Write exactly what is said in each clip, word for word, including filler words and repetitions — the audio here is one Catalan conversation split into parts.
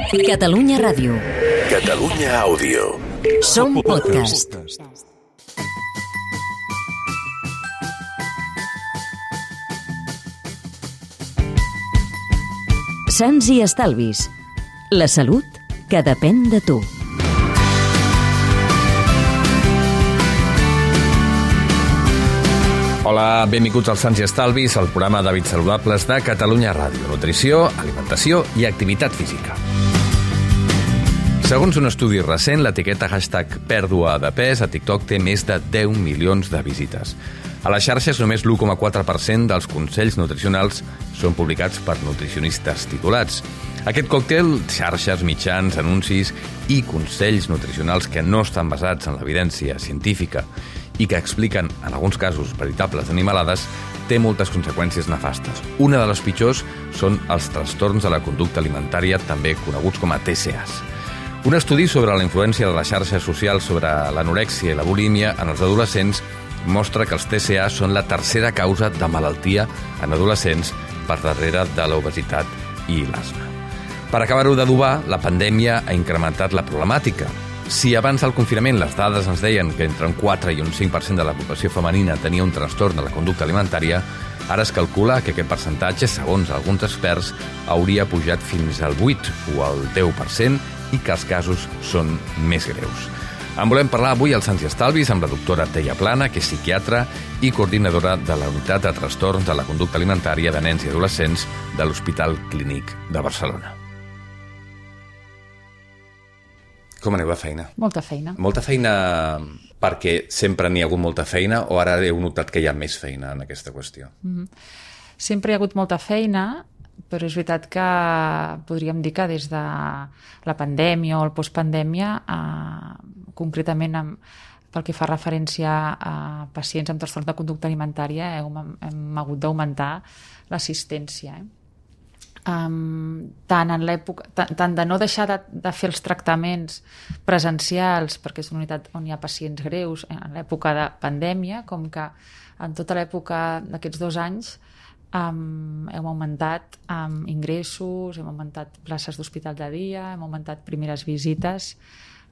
Catalunya Ràdio. Catalunya Àudio. Som podcast. Sants i estalvis. La salut que depèn de tu. Hola, benvinguts als Sants i Estalvis, el programa d'hàbits saludables de Catalunya Ràdio. Nutrició, alimentació i activitat física. Segons un estudi recent, l'etiqueta hashtag pèrdua de pes a TikTok té més de deu milions de visites. A les xarxes, només l'u coma quatre per cent dels consells nutricionals són publicats per nutricionistes titulats. Aquest còctel, xarxes, mitjans, anuncis i consells nutricionals que no estan basats en l'evidència científica i que expliquen, en alguns casos, veritables animalades, té moltes conseqüències nefastes. Una de les pitjors són els trastorns de la conducta alimentària, també coneguts com a T C As. Un estudi sobre la influència de les xarxes socials sobre l'anorèxia i la bulímia en els adolescents mostra que els T C A són la tercera causa de malaltia en adolescents per darrere de l'obesitat i l'asma. Per acabar-ho d'adobar, la pandèmia ha incrementat la problemàtica. Si abans del confinament les dades ens deien que entre un quatre i un cinc per cent de la població femenina tenia un trastorn de la conducta alimentària, ara es calcula que aquest percentatge, segons alguns experts, hauria pujat fins al vuit o al deu per cent i que els casos són més greus. En volem parlar avui als Sants i Estalvis amb la doctora Teia Plana, que és psiquiatra i coordinadora de la Unitat de Trastorns de la Conducta Alimentària de Nens i Adolescents de l'Hospital Clínic de Barcelona. Com aneu de feina? Molta feina. Molta feina perquè sempre n'hi ha hagut molta feina o ara heu notat que hi ha més feina en aquesta qüestió? Mm-hmm. Sempre hi ha hagut molta feina, però és veritat que podríem dir que des de la pandèmia o el postpandèmia, eh, concretament amb, pel que fa referència a pacients amb trastorns de conducta alimentària, hem, hem hagut d'augmentar l'assistència. Eh? Um, tant en l'època, tant, tant de no deixar de, de fer els tractaments presencials, perquè és una unitat on hi ha pacients greus en l'època de pandèmia, com que en tota l'època d'aquests dos anys um, hem augmentat um, ingressos, hem augmentat places d'hospital de dia, hem augmentat primeres visites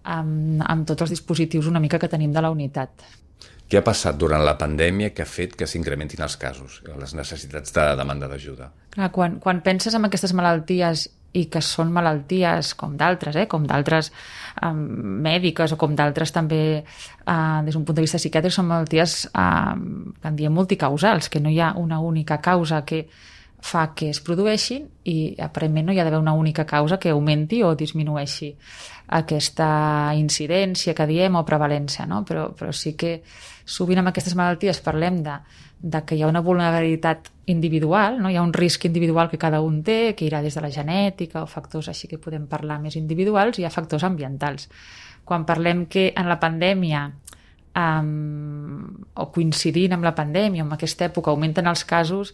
um, amb tots els dispositius una mica que tenim de la unitat. Què ha passat durant la pandèmia que ha fet que s'incrementin els casos, les necessitats de demanda d'ajuda? Clar, quan, quan penses en aquestes malalties i que són malalties com d'altres, eh, com d'altres eh, mèdiques o com d'altres també eh, des d'un punt de vista psiquiàtric, són malalties eh, que en diem multicausals, que no hi ha una única causa que fa que es produeixin i aparentment no hi ha d'haver una única causa que augmenti o disminueixi aquesta incidència que diem o prevalència, no? Però, però sí que sovint amb aquestes malalties parlem de, de que hi ha una vulnerabilitat individual, no? Hi ha un risc individual que cada un té, que irà des de la genètica o factors així que podem parlar més individuals, i hi ha factors ambientals. Quan parlem que en la pandèmia Um, o coincidint amb la pandèmia, en aquesta època augmenten els casos,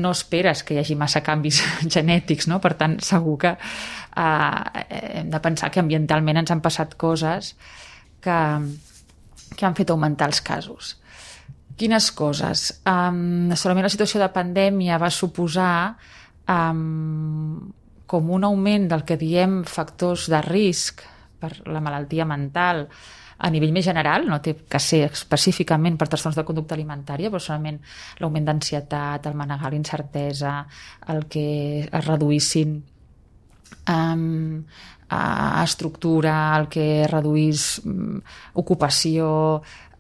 no esperes que hi hagi massa canvis genètics, no? Per tant, segur que uh, hem de pensar que ambientalment ens han passat coses que, que han fet augmentar els casos. Quines coses? Um, solament la situació de pandèmia va suposar um, com un augment del que diem factors de risc per la malaltia mental a nivell més general, no té que ser específicament per trastorns de conducta alimentària, però solament l'augment d'ansietat, el manegar l'incertesa, el que es reduïssin um, a estructura, el que es reduís um, ocupació,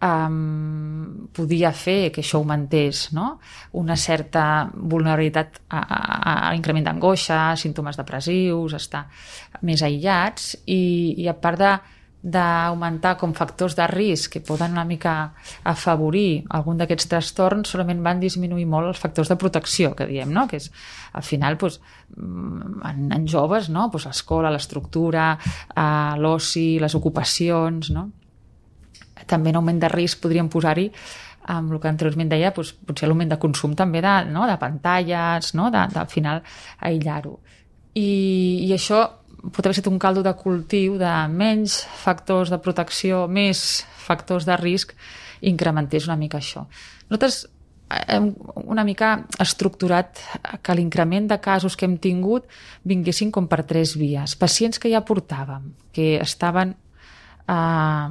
um, podia fer que això augmentés, no? Una certa vulnerabilitat a, a, a l'increment d'angoixa, símptomes depressius, estar més aïllats, i, i a part de d'augmentar com factors de risc que poden una mica afavorir algun d'aquests trastorns, solament van disminuir molt els factors de protecció que diem, no? Que és, al final, doncs, en, en joves, no? Doncs l'escola, l'estructura, eh, l'oci, les ocupacions, no? També en augment de risc podríem posar-hi amb el que anteriorment deia, doncs, potser l'augment de consum també de, no? De pantalles, no? de, de, al final aïllar-ho. I, i això pot haver estat un caldo de cultiu de menys factors de protecció, més factors de risc, incrementés una mica això. Nosaltres hem una mica estructurat que l'increment de casos que hem tingut vinguessin com per tres vies. Pacients que ja portàvem, que estaven eh,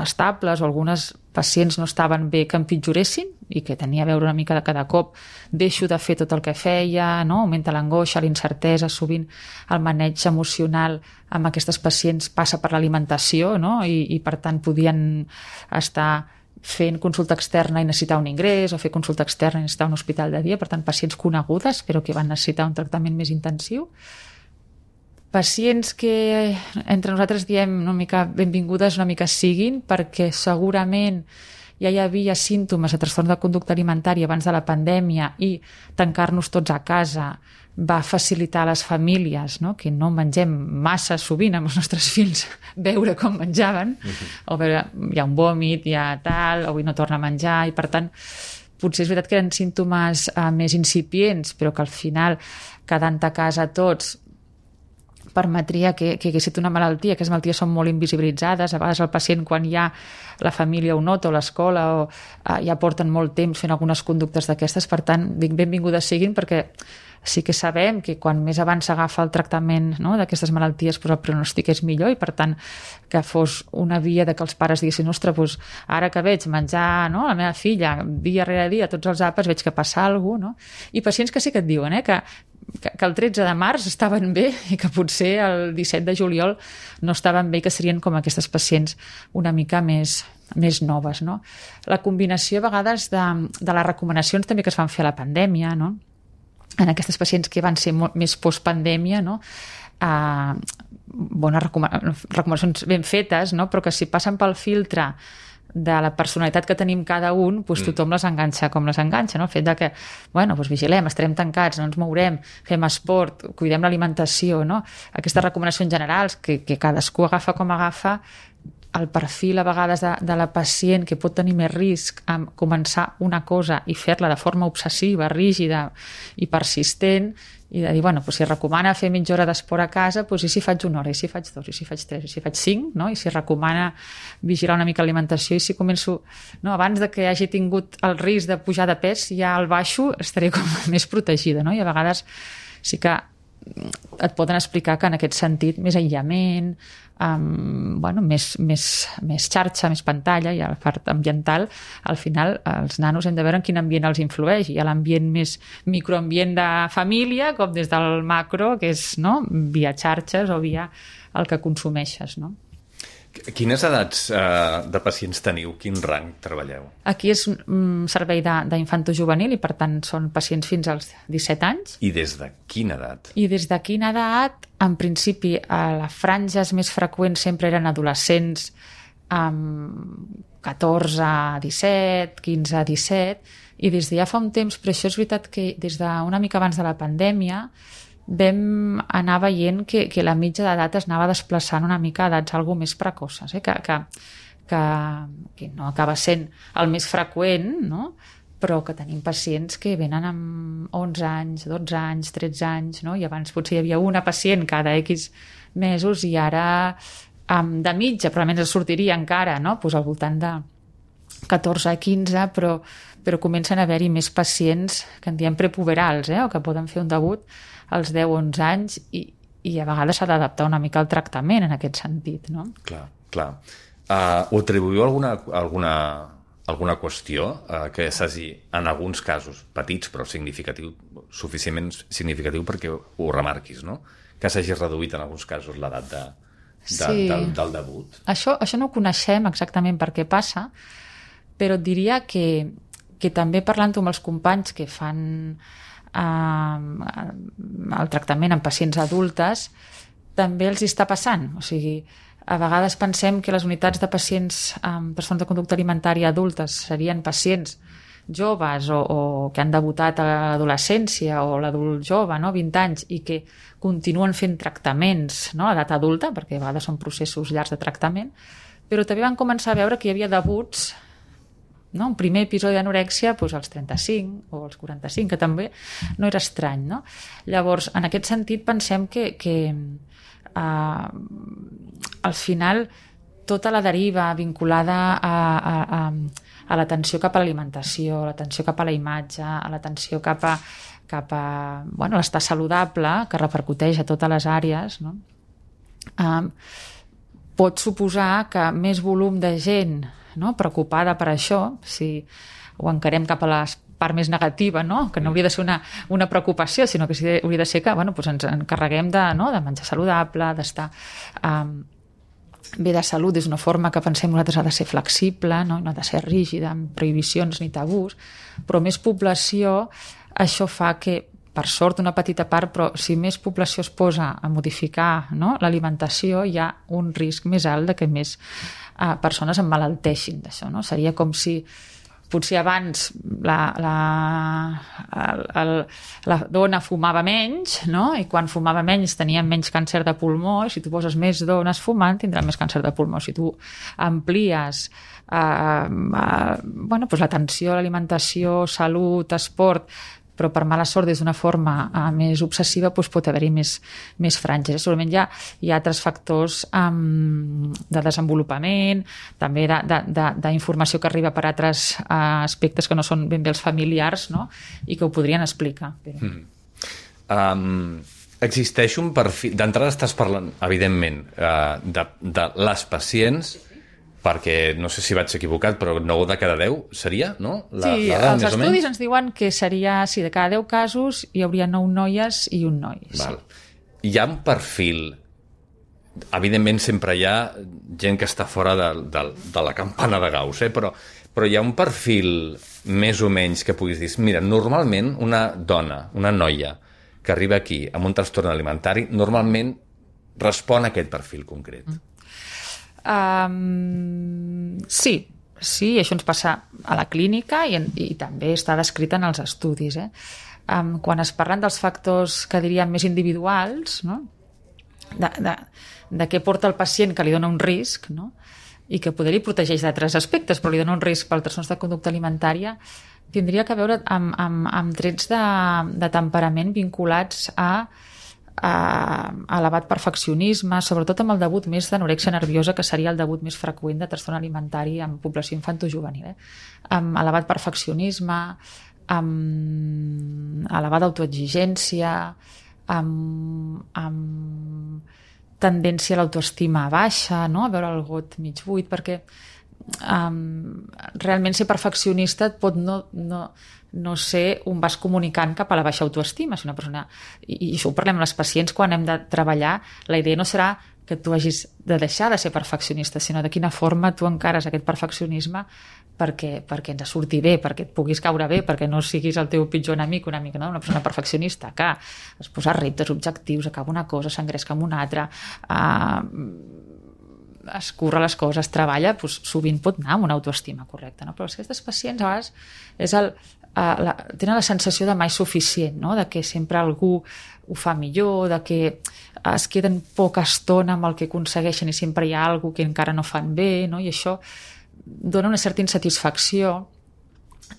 estables, o algunes pacients no estaven bé que empitjoressin i que tenia a veure una mica de cada cop deixo de fer tot el que feia, no? Augmenta l'angoixa, l'incertesa, sovint el maneig emocional amb aquestes pacients passa per l'alimentació, no? I, i per tant podien estar fent consulta externa i necessitar un ingrés, o fer consulta externa i necessitar un hospital de dia, per tant, pacients conegudes, però que van necessitar un tractament més intensiu. Pacients que entre nosaltres diem una mica benvingudes, una mica siguin, perquè segurament ja hi havia símptomes de trastorn de conducta alimentària abans de la pandèmia i tancar-nos tots a casa va facilitar a les famílies, no? Que no mengem massa sovint amb els nostres fills veure com menjaven, uh-huh. o veure, hi ha un vòmit, hi ha tal, avui no torna a menjar, i per tant potser és veritat que eren símptomes uh, més incipients, però que al final, quedant a casa tots, permetria que, que hagués estat una malaltia, que les malalties són molt invisibilitzades, a vegades el pacient quan ja la família ho nota o l'escola o, uh, ja porten molt temps fent algunes conductes d'aquestes, per tant, dic benvingudes siguin perquè sí que sabem que quan més abans s'agafa el tractament, no, d'aquestes malalties, doncs el pronòstic és millor, i per tant que fos una via de que els pares diguessin ostres, doncs, ara que veig menjar, no, la meva filla dia rere dia tots els àpats, veig que passa alguna cosa, no? I pacients que sí que et diuen eh, que, que, que el tretze de març estaven bé i que potser el disset de juliol no estaven bé, que serien com aquestes pacients una mica més més noves, no? La combinació a vegades de, de les recomanacions també que es van fer a la pandèmia, no? En aquestes pacients que van ser molt més postpandèmia, no? Uh, bones recomanacions ben fetes, no? Però que si passen pel filtre de la personalitat que tenim cada un, doncs tothom les enganxa com les enganxa, no? El fet de que, bueno, doncs vigilem, estarem tancats, no ens mourem, fem esport, cuidem l'alimentació, no? Aquestes recomanacions generals que, que cadascú agafa com agafa, el perfil a vegades de, de la pacient que pot tenir més risc en començar una cosa i fer-la de forma obsessiva, rígida i persistent, i de dir, bueno, doncs si recomana fer mitja hora d'esport a casa, doncs i si faig una hora, i si faig dos, i si faig tres, i si faig cinc, no? I si recomana vigilar una mica l'alimentació, i si començo, no? Abans de que hagi tingut el risc de pujar de pes, ja al baixo estaré com més protegida, no? I a vegades sí que et poden explicar que en aquest sentit més aïllament, um, bueno, més, més, més xarxa, més pantalla, i a la part ambiental, al final els nanos hem de veure en quin ambient els influeix. Hi ha l'ambient més microambient de família, com des del macro, que és, no?, via xarxes o via el que consumeixes, no? Quines edats eh, de pacients teniu? Quin rang treballeu? Aquí és un servei d'infantojuvenil i per tant són pacients fins als disset anys. I des de quina edat? I des de quina edat? En principi, a les franges més freqüents sempre eren adolescents amb catorze a disset, quinze a disset, i des de ja fa un temps, però això és veritat que des d'una mica abans de la pandèmia vam anar veient que, que la mitja d'edat es anava desplaçant una mica a edats algo més precoces, eh? que, que, que, que no acaba sent el més freqüent, no? Però que tenim pacients que venen amb onze anys, dotze anys, tretze anys, no? I abans potser hi havia una pacient cada X mesos i ara um, de mitja probablement es sortiria encara, no? Pues al voltant de catorze a quinze, però, però comencen a haver-hi més pacients que en diem prepuberals, eh? O que poden fer un debut als deu o onze anys i, i a vegades s'ha d'adaptar una mica al tractament en aquest sentit, no? Clar, clar. Uh, ho atribuïu a alguna, alguna, alguna qüestió uh, que s'hagi, en alguns casos, petits però significatiu, suficientment significatiu perquè ho remarquis, no? Que s'hagi reduït en alguns casos l'edat de, de, sí. del, del debut. Això, això no ho coneixem exactament per què passa, però et diria que, que també parlant-ho amb els companys que fan el tractament en pacients adultes també els està passant, o sigui, a vegades pensem que les unitats de pacients amb trastorns de conducta alimentària adultes serien pacients joves o, o que han debutat a l'adolescència o l'adult jove, no? vint anys, i que continuen fent tractaments, no? A edat adulta, perquè a vegades són processos llargs de tractament, però també van començar a veure que hi havia debuts, no? Un primer episodi d'anorèxia doncs als trenta-cinc o als quaranta-cinc, que també no era estrany, no? Llavors, en aquest sentit pensem que, que uh, al final tota la deriva vinculada a, a, a, a l'atenció cap a l'alimentació, a l'atenció cap a la imatge, a l'atenció cap a, cap a bueno, l'estar saludable, que repercuteix a totes les àrees, no? Um, pot suposar que més volum de gent, no, preocupada per això, si ho encarem cap a la part més negativa, no? Que no hauria de ser una, una preocupació, sinó que sí, hauria de ser que bueno, doncs ens encarreguem de, no, de menjar saludable, d'estar um, bé de salut, és una forma que pensem nosaltres ha de ser flexible, no, no ha de ser rígida, amb prohibicions ni tabús, però més població, això fa que, per sort, una petita part, però si més població es posa a modificar, no, l'alimentació, hi ha un risc més alt de que més uh, persones emmalalteixin d'això, no? Seria com si potser abans la, la, el, el, la dona fumava menys, no? I quan fumava menys tenia menys càncer de pulmó, i si tu poses més dones fumant tindran més càncer de pulmó. Si tu amplies eh, eh, bueno, doncs l'atenció a l'alimentació, salut, esport, però per mala sort des d'una forma uh, més obsessiva doncs pot haver-hi més, més franges. Segurament hi ha, hi ha altres factors um, de desenvolupament, també d'informació que arriba per altres uh, aspectes que no són ben bé els familiars, no? I que ho podrien explicar. Però... Mm. Um, existeix un perfil... D'entrada estàs parlant, evidentment, uh, de, de les pacients, perquè no sé si vaig equivocat, però nou de cada deu seria, no? La, sí, la els estudis ens diuen que seria, sí, de cada deu casos hi hauria nou noies i un noi. Val. Sí. Hi ha un perfil... Evidentment sempre hi ha gent que està fora de, de, de la campana de Gauss, eh? però, però hi ha un perfil més o menys que puguis dir, mira, normalment una dona, una noia que arriba aquí amb un trastorn alimentari, normalment respon a aquest perfil concret. Mm. Um, sí, sí, això ens passa a la clínica i, en, i també està descrit en els estudis. Eh? Um, quan es parlen dels factors que diríem més individuals, no? de, de, de què porta el pacient que li dona un risc, no? I que poder li protegeix d'altres aspectes, però li dona un risc per trastorns de conducta alimentària, tindria que veure amb, amb, amb trets de, de temperament vinculats a a elevat perfeccionisme, sobretot amb el debut més d'anorèxia nerviosa, que seria el debut més freqüent de trastorn alimentari en població infantojuvenil, eh? Amb elevat perfeccionisme, amb elevada autoexigència, amb, amb tendència a l'autoestima baixa, no? A veure el got mig buit, perquè um, realment ser perfeccionista et pot no... no no ser un vas comunicant cap a la baixa autoestima. Si una persona... I, i això ho parlem amb les pacients quan hem de treballar. La idea no serà que tu hagis de deixar de ser perfeccionista, sinó de quina forma tu encares aquest perfeccionisme perquè, perquè ens surti bé, perquè et puguis caure bé, perquè no siguis el teu pitjor enemic, una mica, no? Una persona perfeccionista que es posa reptes, objectius, acaba una cosa, s'engresca amb una altra, eh, es curra les coses, treballa, doncs, sovint pot anar amb una autoestima correcta, no? Però aquestes pacients a vegades és el, uh, la, tenen la sensació de mai suficient, no? De que sempre algú ho fa millor, de que es queden poca estona amb el que aconsegueixen i sempre hi ha algú que encara no fan bé, no? I això dona una certa insatisfacció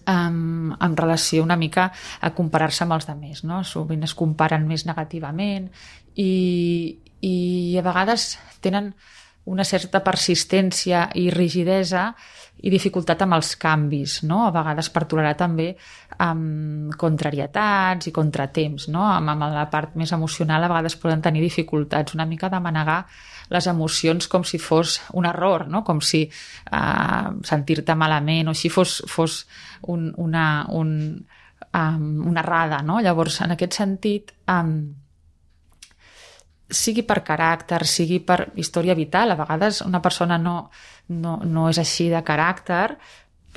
um, en relació una mica a comparar-se amb els altres, no? Sovint es comparen més negativament i, i a vegades tenen una certa persistència i rigidesa i dificultat amb els canvis, no? A vegades per tolerar també amb contrarietats i contratemps, no? Amb, amb la part més emocional a vegades poden tenir dificultats una mica de manegar les emocions com si fos un error, no? Com si uh, sentir-te malament o així fos, fos un, una, un, um, una errada, no? Llavors, en aquest sentit... Um, sigui per caràcter, sigui per història vital, a vegades una persona no, no, no és així de caràcter,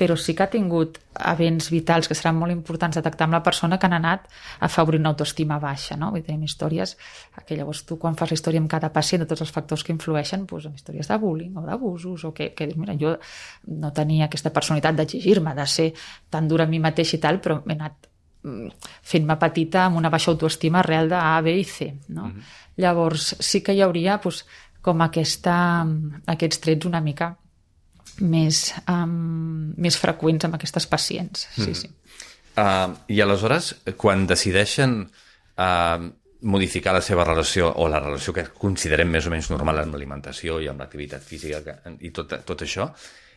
però sí que ha tingut events vitals que seran molt importants detectar amb la persona que han anat afavorint una autoestima baixa, no? Vull dir, tenim històries que llavors tu quan fas la història amb cada pacient de tots els factors que influeixen, doncs amb històries de bullying o d'abusos, o que, que dius, mira, jo no tenia aquesta personalitat d'exigir-me, de ser tan dura a mi mateix i tal, però he anat fent-me petita amb una baixa autoestima arrel de A, B i C, no? Mm-hmm. Llavors sí que hi hauria doncs, com aquesta, aquests trets una mica més, um, més freqüents amb aquestes pacients. Sí, mm. sí. Uh, I aleshores, quan decideixen uh, modificar la seva relació o la relació que considerem més o menys normal amb l'alimentació i amb l'activitat física que, i tot, tot això,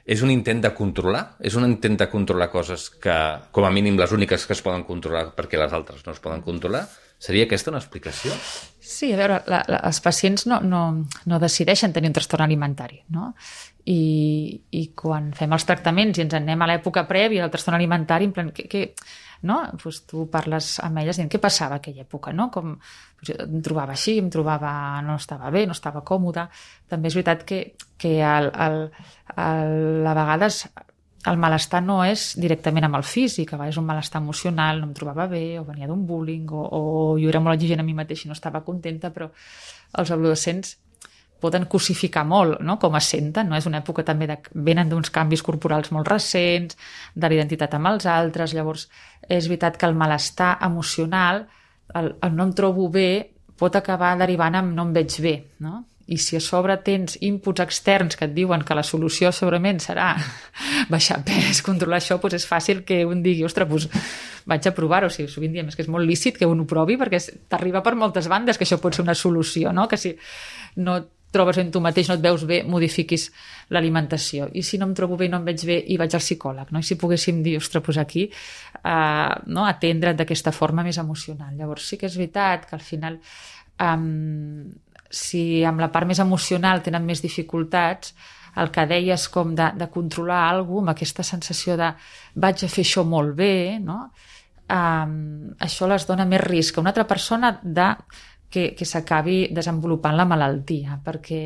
És un intent de controlar? És un intent de controlar coses que, com a mínim, les úniques que es poden controlar perquè les altres no es poden controlar? Seria aquesta una explicació? Sí, a veure, la, la, els pacients no, no, no decideixen tenir un trastorn alimentari, no? I, i quan fem els tractaments i ens anem a l'època prèvia del trastorn alimentari, en plan, que, que, no? Pues tu parles amb elles dient què passava a aquella època, no? Com, pues em trobava així, em trobava, no estava bé, no estava còmode. També és veritat que, que el, el, el, a vegades el malestar no és directament amb el físic, a vegades és un malestar emocional, no em trobava bé, o venia d'un bullying, o, o jo era molt exigent a mi mateix i no estava contenta, però els adolescents poden cosificar molt, no?, com es senten, no? És una època també de... venen d'uns canvis corporals molt recents, de l'identitat amb els altres, llavors és veritat que el malestar emocional, el, el no em trobo bé, pot acabar derivant en no em veig bé, no? I si a sobre tens inputs externs que et diuen que la solució segurament serà baixar pes, controlar això, doncs és fàcil que un digui, ostres, doncs vaig a provar-ho. O sigui, sovint diem, és que és molt lícit que un ho provi perquè t'arriba per moltes bandes que això pot ser una solució, no? Que si no et trobes en tu mateix, no et veus bé, modifiquis l'alimentació. I si no em trobo bé i no em veig bé, i vaig al psicòleg, no? I si poguéssim dir, ostres, doncs aquí, eh, no? Atendre't d'aquesta forma més emocional. Llavors sí que és veritat que al final... Eh, si amb la part més emocional tenen més dificultats, el que deies com de, de controlar alguna cosa, amb aquesta sensació de vaig a fer això molt bé, no? Um, això les dona més risc a una altra persona de, que, que s'acabi desenvolupant la malaltia, perquè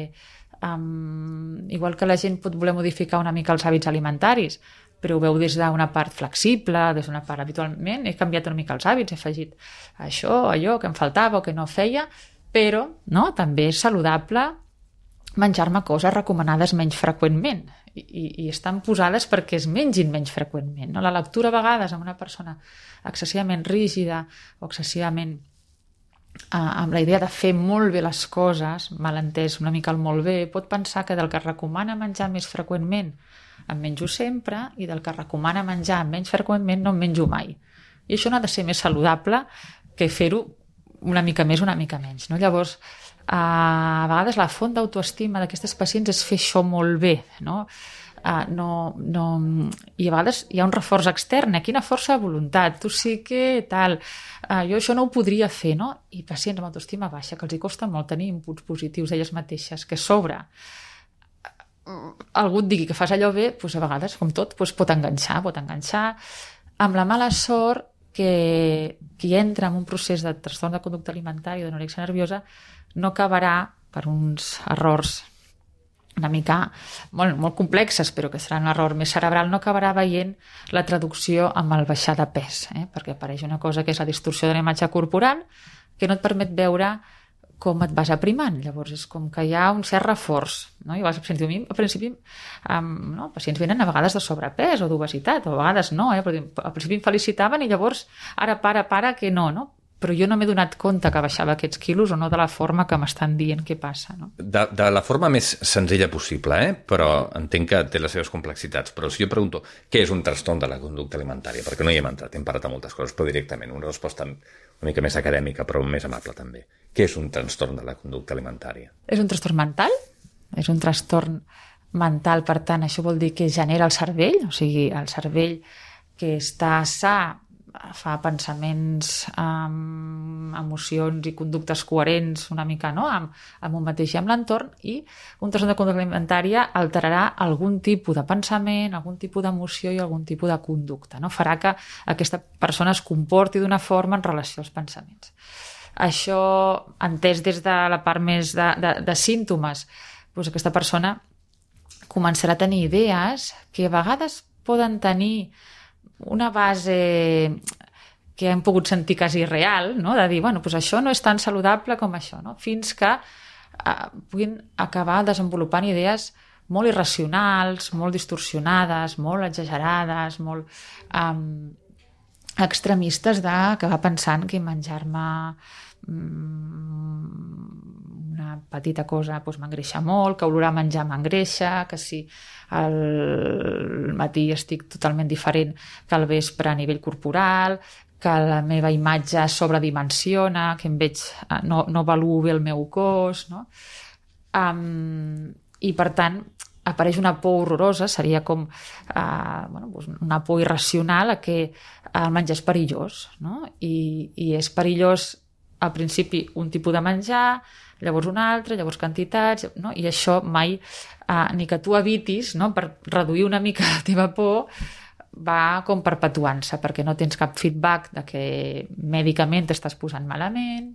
um, igual que la gent pot voler modificar una mica els hàbits alimentaris, però ho veu des d'una part flexible, des d'una part habitualment, he canviat una mica els hàbits, he afegit això, allò que em faltava o que no feia, però no, també és saludable menjar-me coses recomanades menys freqüentment i, i, i estan posades perquè es mengin menys freqüentment. No? La lectura a vegades amb una persona excessivament rígida o excessivament eh, amb la idea de fer molt bé les coses, mal entès una mica el molt bé, pot pensar que del que recomana menjar més freqüentment em menjo sempre i del que recomana menjar menys freqüentment no em menjo mai. I això no ha de ser més saludable que fer-ho una mica més, una mica menys, no? Llavors, a vegades la font d'autoestima d'aquestes pacients és fer això molt bé, no? Uh, no, no... I a vegades hi ha un reforç extern, eh? Quina força de voluntat, tu sí que tal, uh, jo això no ho podria fer, no? I pacients amb autoestima baixa, que els hi costa molt tenir inputs positius d'elles mateixes, que sobre algú et digui que fas allò bé, doncs a vegades, com tot, doncs pot enganxar, pot enganxar amb la mala sort que qui entra en un procés de trastorn de conducta alimentària o d'anorèxia nerviosa no acabarà per uns errors una mica molt, molt complexes, però que serà un error més cerebral, no acabarà veient la traducció amb el baixar de pes, eh? Perquè apareix una cosa que és la distorsió de la imatge corporal que no et permet veure com et vas aprimant. Llavors és com que hi ha un cert reforç, no? I vas, al principi, al principi um, no? pacients venen a vegades de sobrepès o d'obesitat, o a vegades no, eh? Però al principi em felicitaven i llavors ara para, para, que no, no? Però jo no m'he donat compte que baixava aquests quilos o no de la forma que m'estan dient què passa, no? De, de la forma més senzilla possible, eh? Però entenc que té les seves complexitats. Però si jo pregunto què és un trastorn de la conducta alimentària, perquè no hi hem entrat, hem parlat de moltes coses, però directament, una resposta una mica més acadèmica, però més amable també. Què és un trastorn de la conducta alimentària? És un trastorn mental? És un trastorn mental, per tant, això vol dir que genera el cervell, o sigui, el cervell que està sa fa pensaments, um, emocions i conductes coherents una mica, no?, amb, amb un mateix i amb l'entorn, i un trastorn de conducta alimentària alterarà algun tipus de pensament, algun tipus d'emoció i algun tipus de conducta, no? Farà que aquesta persona es comporti d'una forma en relació als pensaments. Això, entès des de la part més de, de, de símptomes, doncs aquesta persona començarà a tenir idees que a vegades poden tenir una base que hem pogut sentir quasi real, no? De dir, bueno, doncs això no és tan saludable com això, no? Fins que eh, puguin acabar desenvolupant idees molt irracionals, molt distorsionades, molt exagerades, molt um, extremistes d'acabar pensant que menjar-me um, una petita cosa doncs m'engreixa molt, que olorar menjar m'engreixa, que si al matí estic totalment diferent que al vespre a nivell corporal, que la meva imatge sobredimensiona, que em veig, no, no valuo bé el meu cos, no? Um, I per tant apareix una por horrorosa, seria com eh, bueno, doncs una por irracional a que el menjar és perillós, no? I, i és perillós al principi un tipus de menjar, llavors un altre, llavors quantitats, no? I això mai, eh, ni que tu evitis, no? Per reduir una mica la teva por, va com perpetuant-se, perquè no tens cap feedback de que mèdicament t'estàs posant malament,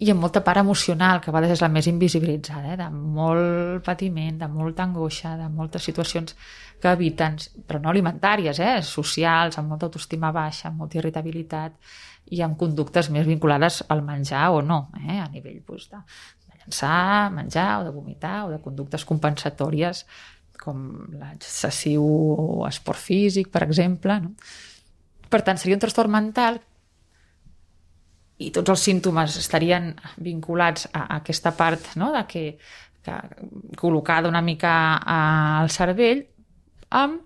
i amb molta part emocional, que a vegades és la més invisibilitzada, eh? De molt patiment, de molta angoixa, de moltes situacions que eviten, però no alimentàries, eh? Socials, amb molta autoestima baixa, amb molta irritabilitat, i amb conductes més vinculades al menjar o no, eh? A nivell doncs, de, de llançar, menjar, o de vomitar, o de conductes compensatòries, com l'excessiu esport físic, per exemple, no? Per tant, seria un trastorn mental i tots els símptomes estarien vinculats a aquesta part, no? De que, que col·locada una mica al cervell, amb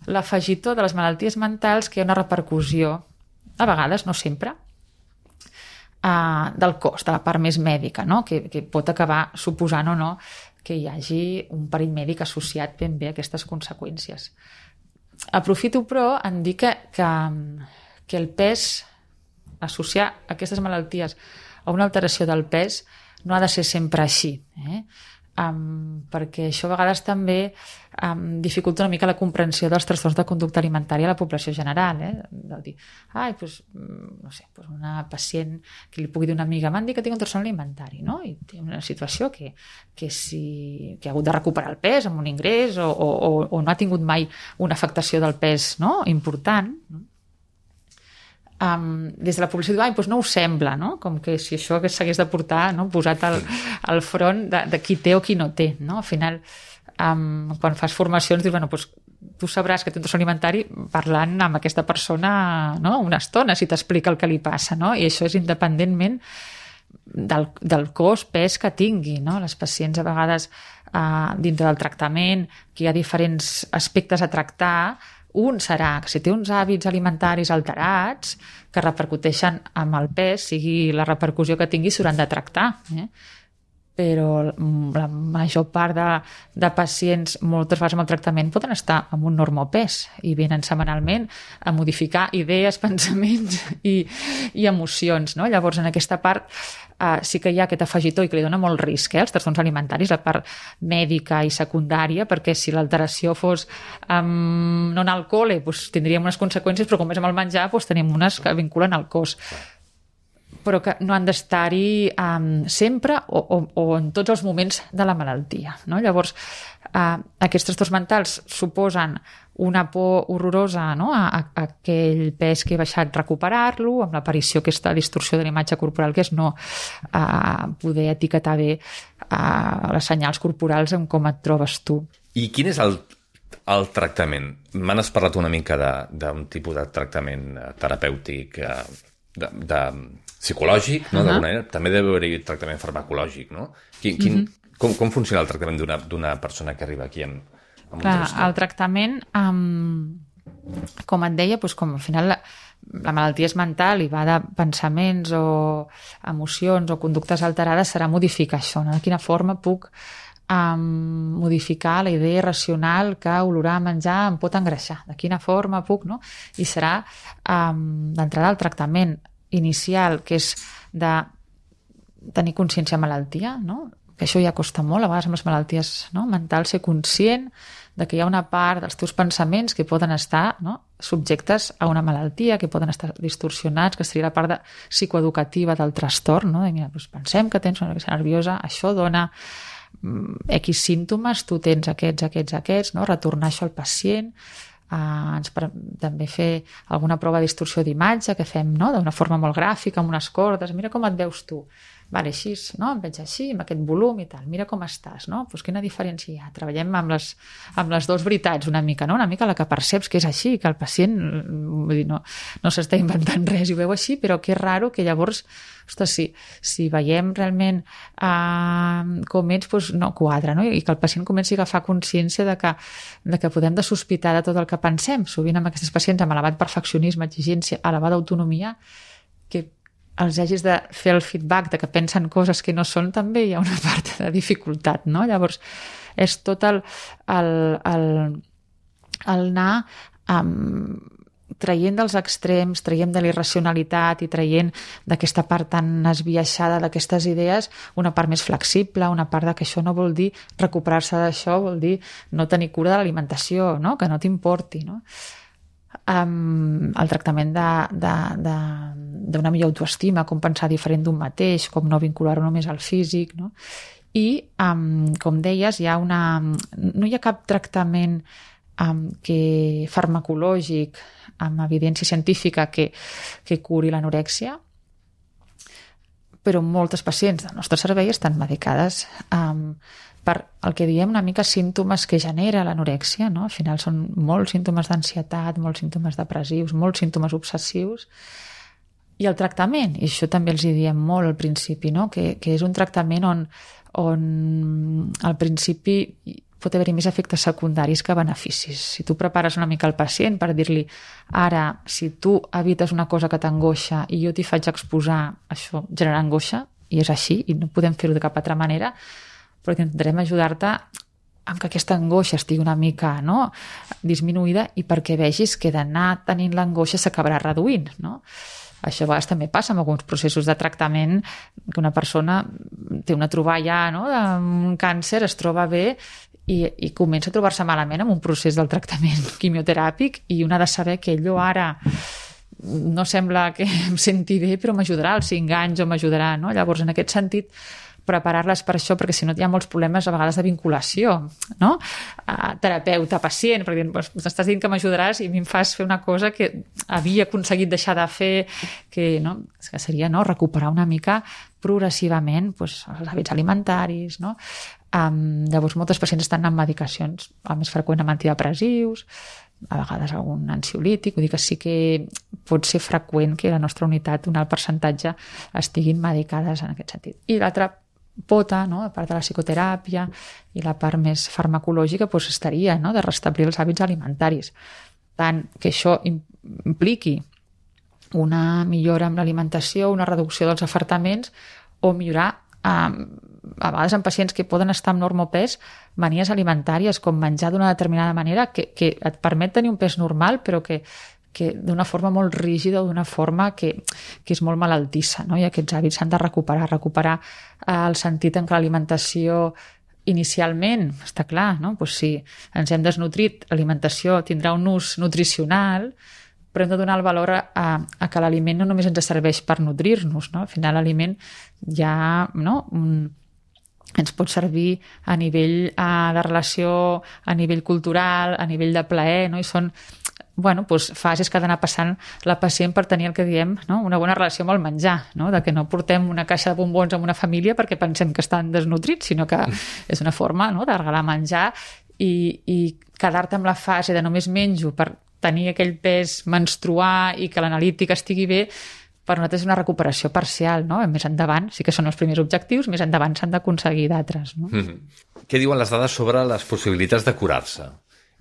l'afegitó de les malalties mentals, que hi ha una repercussió, a vegades, no sempre, uh, del cos, de la part més mèdica, no? Que, que pot acabar suposant o no que hi hagi un perill mèdic associat ben bé a aquestes conseqüències. Aprofito, però, en dir que, que, que el pes, associar aquestes malalties a una alteració del pes, no ha de ser sempre així, eh? Um, perquè això a vegades també um, dificulta una mica la comprensió dels trastorns de conducta alimentària a la població general, eh? De dir, ai, doncs, no sé, doncs una pacient que li pugui dir una amiga, m'han dit que tinc un trastorn alimentari, no? I té una situació que, que, si, que ha hagut de recuperar el pes amb un ingrés o, o, o no ha tingut mai una afectació del pes, no? Important, no? Um, des de la població diu, ai, doncs no ho sembla, no? Com que si això s'hagués de portar, no? Posat al, al front de, de qui té o qui no té, no? Al final, um, quan fas formacions, dius, bueno, doncs tu sabràs que té un trastorn alimentari parlant amb aquesta persona, no? Una estona, si t'explica el que li passa, no? I això és independentment del, del cos, pes que tingui, no? Les pacients a vegades, uh, dintre del tractament, que hi ha diferents aspectes a tractar. Un serà que si té uns hàbits alimentaris alterats que repercuteixen amb el pes, sigui la repercussió que tingui, s'hauran de tractar. Eh? Però la major part de, de pacients, moltes vegades amb el tractament, poden estar amb un normopès i venen setmanalment a modificar idees, pensaments i, i emocions. No? Llavors, en aquesta part, Uh, sí que hi ha aquest afegitó i que li dona molt risc, eh, als trastorns alimentaris, la part mèdica i secundària, perquè si l'alteració fos um, no anar al col·le, doncs tindríem unes conseqüències, però com és amb el menjar, doncs tenim unes que vinculen al cos. Però que no han d'estar-hi um, sempre o, o, o en tots els moments de la malaltia. No? Llavors, uh, aquests trastorns mentals suposen una por horrorosa, no? a, a, a aquell pes que he baixat, recuperar-lo, amb l'aparició aquesta distorsió de la imatge corporal, que és no uh, poder etiquetar bé uh, les senyals corporals en com et trobes tu. I quin és el, el tractament? M'han parlat una mica d'un tipus de tractament terapèutic, de, de psicològic, no? Uh-huh. D'alguna manera. També deu haver-hi tractament farmacològic, no? Quin, quin, uh-huh. com, com funciona el tractament d'una d'una persona que arriba aquí amb, amb Clar, un trastorn? El tractament, um, com et deia, doncs com al final la, la malaltia és mental i va de pensaments o emocions o conductes alterades, serà modificar això, no? De quina forma puc um, modificar la idea irracional que olorar menjar em pot engreixar, de quina forma puc, no? I serà um, d'entrada el tractament inicial, que és de tenir consciència de malaltia, no? Que això ja costa molt, a vegades amb les malalties, no? Mental, ser conscient de que hi ha una part dels teus pensaments que poden estar, no? Subjectes a una malaltia, que poden estar distorsionats, que seria la part de, psicoeducativa del trastorn, no? De, mira, doncs pensem que tens una reacció nerviosa, això dona mm, X símptomes, tu tens aquests, aquests, aquests, no? Retornar això al pacient. Uh, ens per, també fer alguna prova de distorsió d'imatge que fem, no? D'una forma molt gràfica, amb unes cordes, mira com et veus tu, vale, així, no? Em veig així, amb aquest volum i tal, mira com estàs, no? Pues quina diferència hi ha? Treballem amb les, amb les dues veritats una mica, no? Una mica la que perceps que és així, que el pacient vull dir, no, no s'està inventant res i ho veu així, però que és raro que llavors, ostres, si, si veiem realment uh, com ets, doncs no quadra, no? I que el pacient comenci a agafar consciència de que, de que podem de sospitar de tot el que pensem. Sovint amb aquests pacients amb elevat perfeccionisme, exigència, elevada autonomia, que els hagis de fer el feedback de que pensen coses que no són, també hi ha una part de dificultat, no? Llavors, és tot el, el, el, el anar um, traient dels extrems, traient de l'irracionalitat i traient d'aquesta part tan esbiaixada d'aquestes idees una part més flexible, una part de que això no vol dir recuperar-se d'això, vol dir no tenir cura de l'alimentació, no? Que no t'importi, no? Um, el tractament d'una millor autoestima, com pensar diferent d'un mateix, com no vincular-ho només al físic, no? I, um, com deies, hi ha una... no hi ha cap tractament um, que farmacològic amb evidència científica que, que curi l'anorèxia, però moltes pacients del nostre servei estan medicades um, per el que diem una mica símptomes que genera l'anorèxia, no? Al final són molts símptomes d'ansietat, molts símptomes depressius, molts símptomes obsessius, i el tractament, i això també els hi diem molt al principi, no? que, que és un tractament on, on al principi pot haver-hi més efectes secundaris que beneficis. Si tu prepares una mica el pacient per dir-li ara, si tu evites una cosa que t'angoixa i jo t'hi faig exposar, això genera angoixa, i és així, i no podem fer-ho de cap altra manera, però intentarem ajudar-te amb que aquesta angoixa estigui una mica, no?, disminuïda, i perquè vegis que d'anar tenint l'angoixa s'acabarà reduint, no? Això a vegades també passa amb alguns processos de tractament, que una persona té una troballa, no?, d'un càncer, es troba bé i, i comença a trobar-se malament amb un procés del tractament quimioteràpic, i un ha de saber que allò ara no sembla que em senti bé, però m'ajudarà als cinc anys o m'ajudarà, no? Llavors, en aquest sentit, preparar-les per això, perquè si no hi ha molts problemes a vegades de vinculació, no? Uh, terapeuta-pacient, perquè m'estàs dient que m'ajudaràs i a mi em fas fer una cosa que havia aconseguit deixar de fer, que, no? Que seria, no?, recuperar una mica progressivament, pues, els hàbits alimentaris, no? Um, llavors, moltes pacients estan amb medicacions, el més freqüent amb antidepressius, a vegades algun ansiolític, vull dir que sí que pot ser freqüent que la nostra unitat, un alt percentatge, estiguin medicades en aquest sentit. I l'altra pota, no?, a part de la psicoteràpia i la part més farmacològica, doncs estaria, no?, de restablir els hàbits alimentaris. Tant que això impliqui una millora amb l'alimentació, una reducció dels afartaments, o millorar, eh, a vegades en pacients que poden estar amb normopès, manies alimentàries, com menjar d'una determinada manera que, que et permet tenir un pes normal, però que que d'una forma molt rígida o d'una forma que, que és molt malaltissa, no? I aquests hàbits s'han de recuperar, recuperar el sentit en què l'alimentació inicialment, està clar, no? Pues si ens hem desnutrit, l'alimentació tindrà un ús nutricional, però hem de donar el valor a, a que l'aliment no només ens serveix per nutrir-nos, no? Al final l'aliment ja, no?, un, ens pot servir a nivell a, de relació, a nivell cultural, a nivell de plaer, no? I són, bueno, doncs fases que ha d'anar passant la pacient per tenir el que diem, no?, una bona relació amb el menjar, no?, de que no portem una caixa de bombons amb una família perquè pensem que estan desnutrits, sinó que és una forma, no?, de regalar menjar, i, i quedar-te amb la fase de només menjo per tenir aquell pes, menstruar i que l'analítica estigui bé, per nosaltres és una recuperació parcial, no? Més endavant, sí que són els primers objectius, més endavant s'han d'aconseguir d'altres, no? Mm-hmm. Què diuen les dades sobre les possibilitats de curar-se?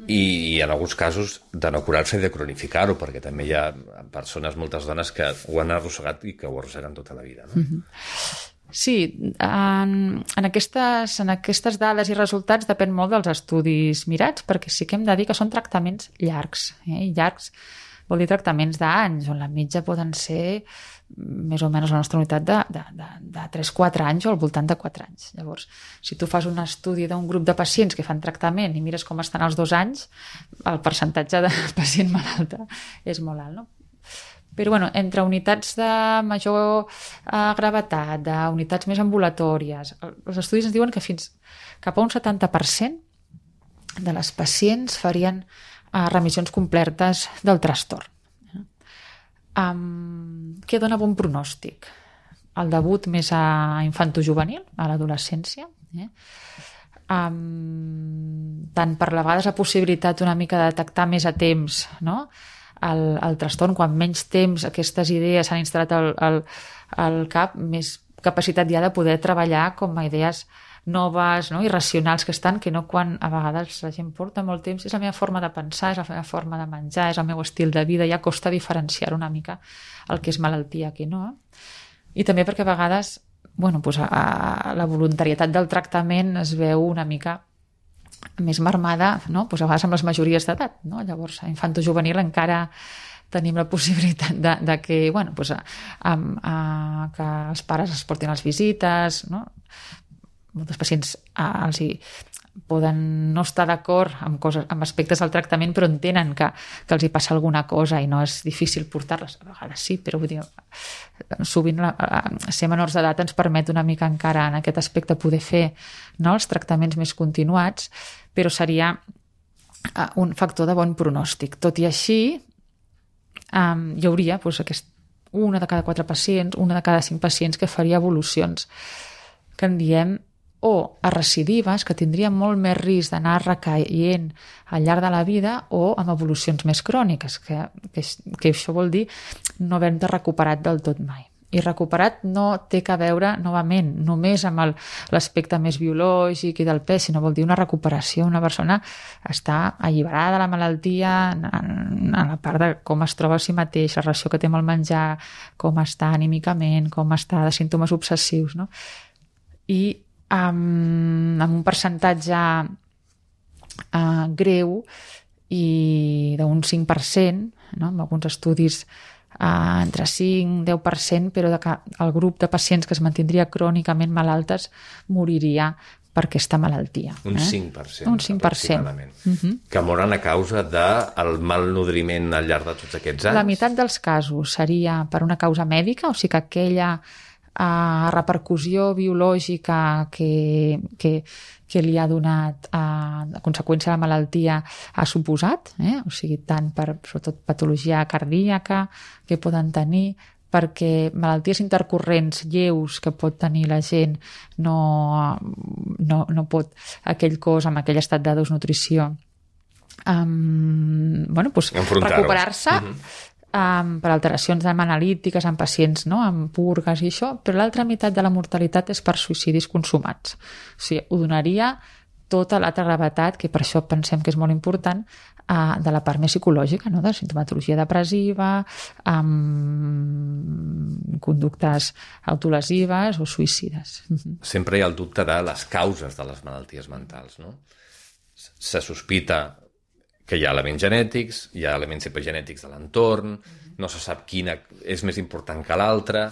I, i en alguns casos de no curar-se i de cronificar-ho, perquè també hi ha persones, moltes dones, que ho han arrossegat i que ho arrosseguen tota la vida, no? Mm-hmm. Sí, en, en, aquestes, en aquestes dades i resultats depèn molt dels estudis mirats, perquè sí que hem de dir que són tractaments llargs, eh? I llargs vol dir tractaments d'anys, on la mitja poden ser més o menys la nostra unitat de, de, de, de tres a quatre anys o al voltant de quatre anys. Llavors, si tu fas un estudi d'un grup de pacients que fan tractament i mires com estan els dos anys, el percentatge de pacient malalta és molt alt, no? Però, bueno, entre unitats de major eh, gravetat, d'unitats més ambulatòries, els estudis ens diuen que fins cap a un setanta per cent de les pacients farien eh, remissions completes del trastorn. Um, què dona bon pronòstic? El debut més a infantojuvenil, a l'adolescència, eh? um, tant per la vegades la possibilitat una mica de detectar més a temps, no?, el, el trastorn, quan menys temps aquestes idees s'han instal·lat al, al, al cap, més capacitat ja de poder treballar com a idees noves, no?, irracionals que estan, que no quan a vegades la gent porta molt temps, és la meva forma de pensar, és la meva forma de menjar, és el meu estil de vida, ja costa diferenciar una mica el que és malaltia que no. I també perquè a vegades bueno, doncs a, a la voluntarietat del tractament es veu una mica més marmada, no? Doncs a vegades amb les majories d'edat, no? Llavors a infantojuvenil encara tenim la possibilitat de, de que, bueno, doncs a, a, a, que els pares es portin a les visites, no? Molts pacients a, els hi poden no estar d'acord amb, coses, amb aspectes del tractament, però entenen que, que els hi passa alguna cosa i no és difícil portar-les. A vegades sí, però vull dir, sovint la, ser menors d'edat ens permet una mica encara en aquest aspecte poder fer, no, els tractaments més continuats, però seria un factor de bon pronòstic. Tot i així, um, hi hauria doncs, aquest, una de cada quatre pacients, una de cada cinc pacients que faria evolucions que en diem o a recidives, que tindrien molt més risc d'anar recaient al llarg de la vida, o amb evolucions més cròniques, que, que, que això vol dir no haver-te recuperat del tot mai. I recuperat no té que veure, novament, només amb el, l'aspecte més biològic i del pes, sinó vol dir una recuperació. Una persona està alliberada de la malaltia en, en la part de com es troba a si mateix, la relació que té amb el menjar, com està anímicament, com està de símptomes obsessius, no? I Um, amb un percentatge uh, greu i d'un cinc per cent, no? Amb alguns estudis uh, entre cinc i deu per cent, però de que el grup de pacients que es mantindria crònicament malaltes moriria per aquesta malaltia. Un eh? cinc per cent, un cinc per cent. Uh-huh. Que moren a causa del malnodriment al llarg de tots aquests anys? La meitat dels casos seria per una causa mèdica, o sigui que aquella a repercussió biològica que, que, que li ha donat a, a conseqüència de la malaltia ha suposat, eh? O sigui, tant per sobretot patologia cardíaca que poden tenir, perquè malalties intercorrents lleus que pot tenir la gent no, no, no pot aquell cos amb aquell estat de desnutrició um, bueno, doncs recuperar-se uh-huh. Um, per alteracions analítiques en pacients, no? Amb purgues i això, però l'altra meitat de la mortalitat és per suïcidis consumats. O sigui, ho donaria tota l'altra gravetat, que per això pensem que és molt important, uh, de la part més psicològica, no? De sintomatologia depressiva, amb conductes autolesives o suïcides. Sempre hi ha el dubte de les causes de les malalties mentals, no? Se sospita que hi ha elements genètics, hi ha elements epigenètics de l'entorn, no se sap quina és més important que l'altra.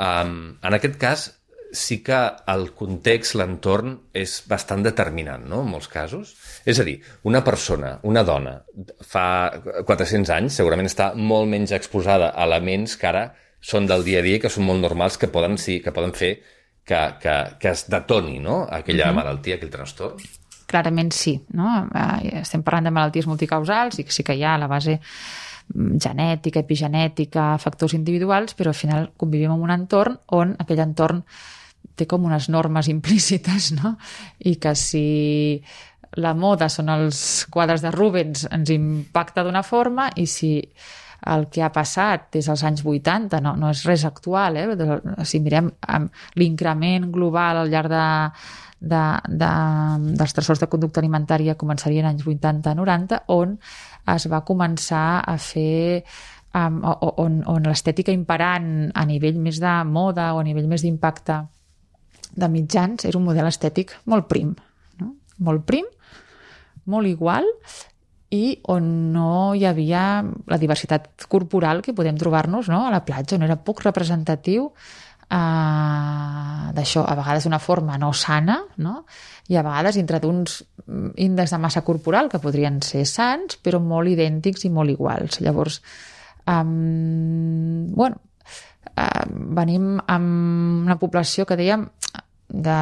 Um, en aquest cas, sí que el context, l'entorn, és bastant determinant, no?, en molts casos. És a dir, una persona, una dona, fa quatre-cents anys segurament està molt menys exposada a elements que ara són del dia a dia, que són molt normals, que poden, sí, que poden fer que, que, que es detoni, no?, aquella uh-huh. malaltia, aquell trastorn. Clarament sí, no? Estem parlant de malalties multicausals i sí que hi ha a la base genètica, epigenètica, factors individuals, però al final convivim en un entorn on aquell entorn té com unes normes implícites, no? I que si la moda són els quadres de Rubens ens impacta d'una forma, i si el que ha passat des dels anys vuitanta no, no és res actual, eh? Si mirem l'increment global al llarg de De, de, dels trastorns de conducta alimentària començarien anys vuitanta noranta, on es va començar a fer um, on, on l'estètica imperant a nivell més de moda o a nivell més d'impacte de mitjans és un model estètic molt prim, no? Molt prim, molt igual, i on no hi havia la diversitat corporal que podem trobar-nos, no?, a la platja, on era poc representatiu Uh, d'això, a vegades d'una forma no sana, no? I a vegades dintre d'uns índexs de massa corporal que podrien ser sans, però molt idèntics i molt iguals. Llavors, um, bueno, uh, venim amb una població que dèiem de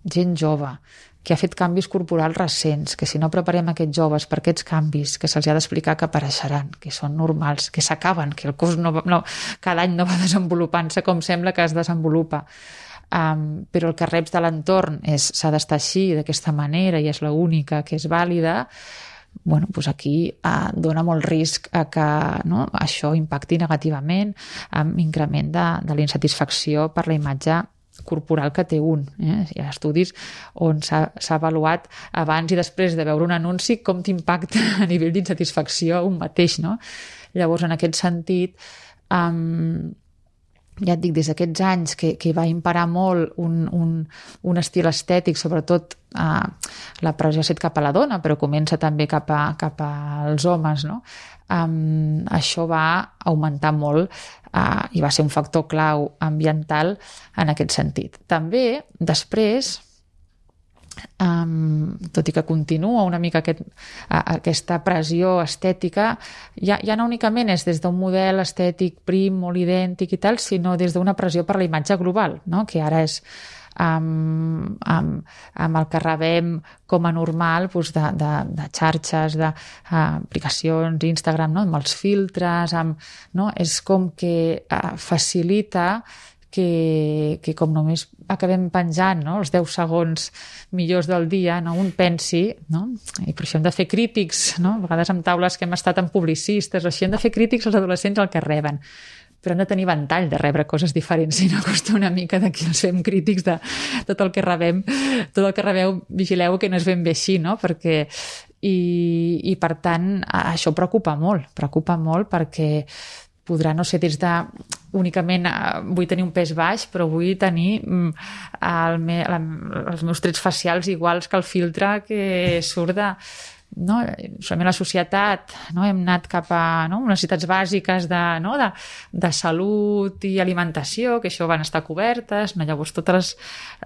gent jove, que ha fet canvis corporals recents, que si no preparem aquests joves per aquests canvis, que se'ls ha d'explicar que apareixeran, que són normals, que s'acaben, que el cos no, no, cada any no va desenvolupant-se com sembla que es desenvolupa. Um, però el que reps de l'entorn és s'ha d'estar així, d'aquesta manera, i és l'única que és vàlida, bueno, doncs aquí uh, dona molt risc a que, no, això impacti negativament amb increment de, de la insatisfacció per la imatge corporal que té un. Eh? Hi ha estudis on s'ha, s'ha avaluat abans i després de veure un anunci com t'impacta a nivell d'insatisfacció un mateix, no? Llavors, en aquest sentit, um, ja et dic, des d'aquests anys que, que va imperar molt un, un, un estil estètic, sobretot eh, la pressió ha set cap a la dona, però comença també cap, a, cap als homes, no? Um, això va augmentar molt uh, i va ser un factor clau ambiental en aquest sentit. També, després, Um, tot i que continua una mica aquest, uh, aquesta pressió estètica, ja, ja no únicament és des d'un model estètic prim, molt idèntic i tal, sinó des d'una pressió per la imatge global, no? Que ara és amb, amb, amb el que rebem com a normal, doncs de, de, de xarxes, d'aplicacions, uh, Instagram, no? Amb els filtres, amb, no? És com que uh, facilita que, que com només acabem penjant, no? Els deu segons millors del dia, no? Un pensi, no? I per això hem de fer crítics, no? A vegades amb taules que hem estat amb publicistes, o així hem de fer crítics als adolescents el que reben, però hem de tenir ventall de rebre coses diferents, si no costa una mica d'aquí els fem crítics de tot el que rebem, tot el que rebeu, vigileu que no és ben bé així, no? Perquè i, i per tant això preocupa molt, preocupa molt perquè podrà no ser des de únicament vull tenir un pes baix, però vull tenir el me, la, els meus trets facials iguals que el filtre que surt de... No? Solament la societat, no? Hem anat cap a, no? necessitats bàsiques de, no? de, de salut i alimentació, que això van estar cobertes, no? Llavors totes les,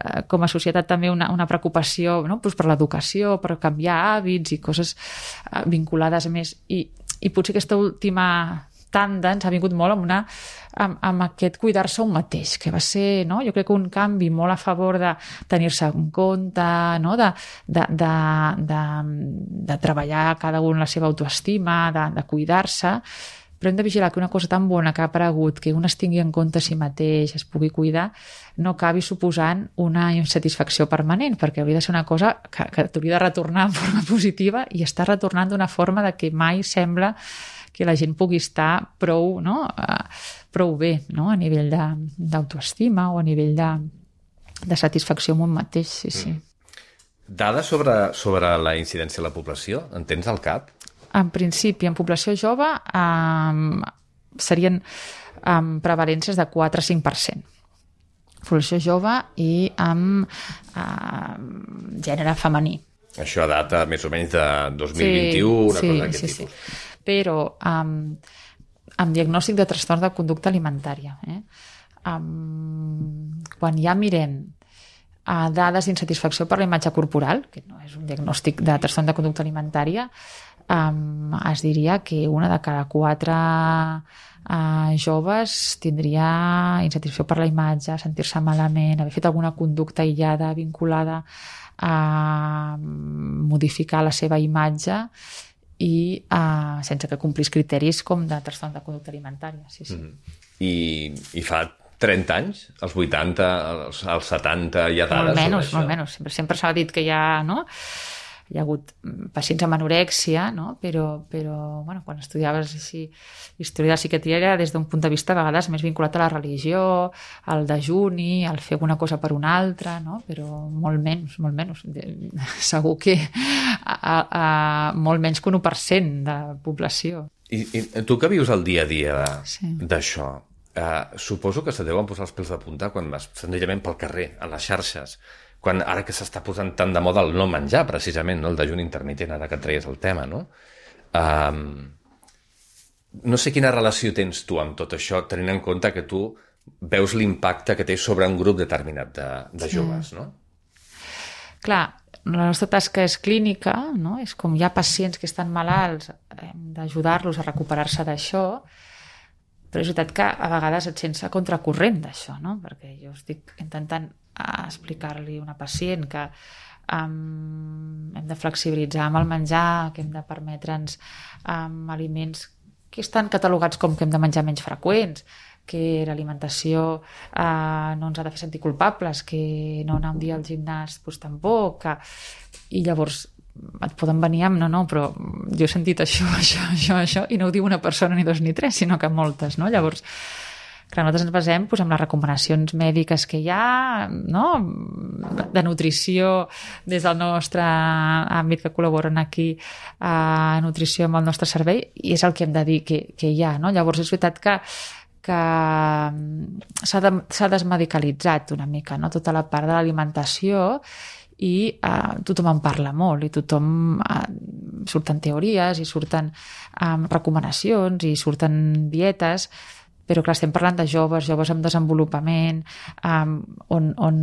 eh, com a societat també una, una preocupació, no? Pues per l'educació, per canviar hàbits i coses eh, vinculades més, i, i potser aquesta última tanda ens ha vingut molt amb, una, amb, amb aquest cuidar-se un mateix, que va ser, no? Jo crec que un canvi molt a favor de tenir-se en compte, no? de, de, de, de, de treballar cada un la seva autoestima, de, de cuidar-se, però hem de vigilar que una cosa tan bona que ha aparegut, que un es tingui en compte a si mateix, es pugui cuidar, no acabi suposant una insatisfacció permanent, perquè hauria de ser una cosa que, que t'hauria de retornar en forma positiva i està retornant d'una forma de que mai sembla que la gent pugui estar prou, no? uh, prou bé, no? A nivell d'autoestima o a nivell de, de satisfacció amb un mateix, sí, sí. Mm. Dades sobre, sobre la incidència de la població, en tens al cap? En principi, en població jove um, serien um, prevalències de quatre a cinc per cent. Població jove i amb uh, gènere femení. Això data més o menys de dos mil vint-i-u, sí, una sí, cosa d'aquest sí, tipus. Sí. Però amb, amb diagnòstic de trastorn de conducta alimentària. Eh? Um, quan ja mirem uh, dades d'insatisfacció per la imatge corporal, que no és un diagnòstic de trastorn de conducta alimentària, um, es diria que una de cada quatre uh, joves tindria insatisfacció per la imatge, sentir-se malament, haver fet alguna conducta aïllada vinculada a modificar la seva imatge i uh, sense que complís criteris com de trastorn de conducta alimentària. Sí, sí. Mm-hmm. I, I fa trenta anys, als vuitanta, als, als setanta, hi ha dades molt menys, sobre això? Molt menys, sempre, sempre s'ha dit que hi ha, no? Hi ha hagut pacients amb anorèxia, no? Però, però bueno, quan estudiaves així, història de la psiquiatria era des d'un punt de vista a vegades més vinculat a la religió, al dejuni, al fer alguna cosa per una altra, no? Però molt menys, molt menys. Segur que a, a, a, molt menys que un u per cent de població. I, I tu que vius el dia a dia d'això, sí. eh, suposo que se deuen posar els pèls de punta quan vas senzillament pel carrer, a les xarxes, quan ara que s'està posant tan de moda el no menjar, precisament, no? El dejuni intermitent, ara que et treies el tema, no? Um, no sé quina relació tens tu amb tot això, tenint en compte que tu veus l'impacte que té sobre un grup determinat de, de joves, sí. No? Clar, la nostra tasca és clínica, no? És com hi ha pacients que estan malalts, hem d'ajudar-los a recuperar-se d'això, però és veritat que a vegades et sents a contracorrent d'això, no? Perquè jo estic intentant a explicar-li a una pacient que um, hem de flexibilitzar amb el menjar, que hem de permetre'ns um, aliments que estan catalogats com que hem de menjar menys freqüents, que l'alimentació uh, no ens ha de fer sentir culpables, que no anar un dia al gimnàs doncs, tampoc, que... i llavors et poden venir amb no, no, però jo he sentit això, això, això, això, i no ho diu una persona ni dos ni tres, sinó que moltes, no? Llavors clar, nosaltres ens basem doncs, en les recomanacions mèdiques que hi ha, no? De nutrició des del nostre àmbit que col·laboren aquí a nutrició amb el nostre servei, i és el que hem de dir que, que hi ha, no? Llavors és veritat que, que s'ha de, s'ha desmedicalitzat una mica, no? Tota la part de l'alimentació, i eh, tothom en parla molt i tothom eh, surten teories i surten eh, recomanacions i surten dietes, però clar, estem parlant de joves, joves amb desenvolupament, eh, on, on,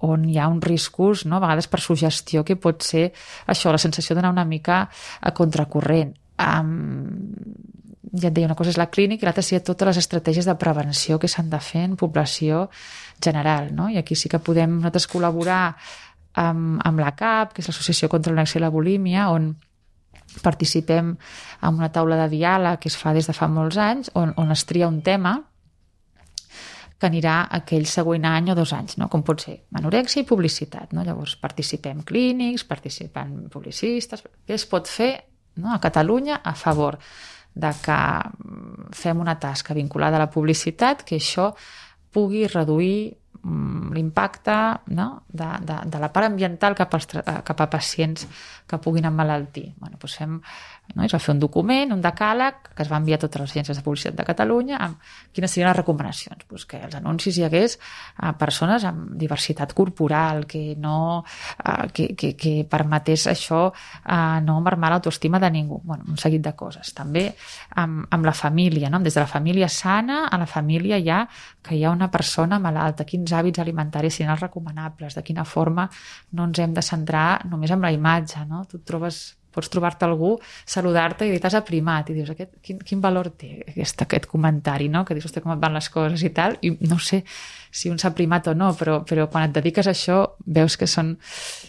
on hi ha uns riscos, no? A vegades per suggestió, que pot ser això, la sensació d'anar una mica a contracorrent. Um, ja et deia, una cosa és la clínica i l'altra seria totes les estratègies de prevenció que s'han de fer en població general, no? I aquí sí que podem nosaltres col·laborar amb, amb la C A P, que és l'Associació contra l'Anorèxia i la Bulímia, on participem en una taula de diàleg que es fa des de fa molts anys, on, on es tria un tema que anirà aquell següent any o dos anys, no? Com pot ser anorèxia i publicitat, no? Llavors participem clínics, participen publicistes, què es pot fer, no? A Catalunya a favor de que fem una tasca vinculada a la publicitat, que això pugui reduir l'impacte, no? de, de, de la part ambiental cap, als, cap a pacients que puguin emmalaltir. Bueno, doncs fem, no? Es va fer un document, un decàleg, que es va enviar a totes les agències de publicitat de Catalunya amb quines serien les recomanacions. Doncs que als anuncis hi hagués a persones amb diversitat corporal, que no que, que, que permetés això a no marmar l'autoestima de ningú. Bueno, un seguit de coses. També amb, amb la família, no? Des de la família sana a la família ja que hi ha una persona malalta, quins hàbits alimentaris serien els recomanables, de quina forma no ens hem de centrar només en la imatge, no? Tu et trobes, pots trobar-te algú, saludar-te i dir t'has aprimat i dius, aquest, quin, quin valor té aquest, aquest comentari, no? Que dius, hosti, com et van les coses i tal, i no sé si un s'ha primat o no, però, però quan et dediques a això veus que són,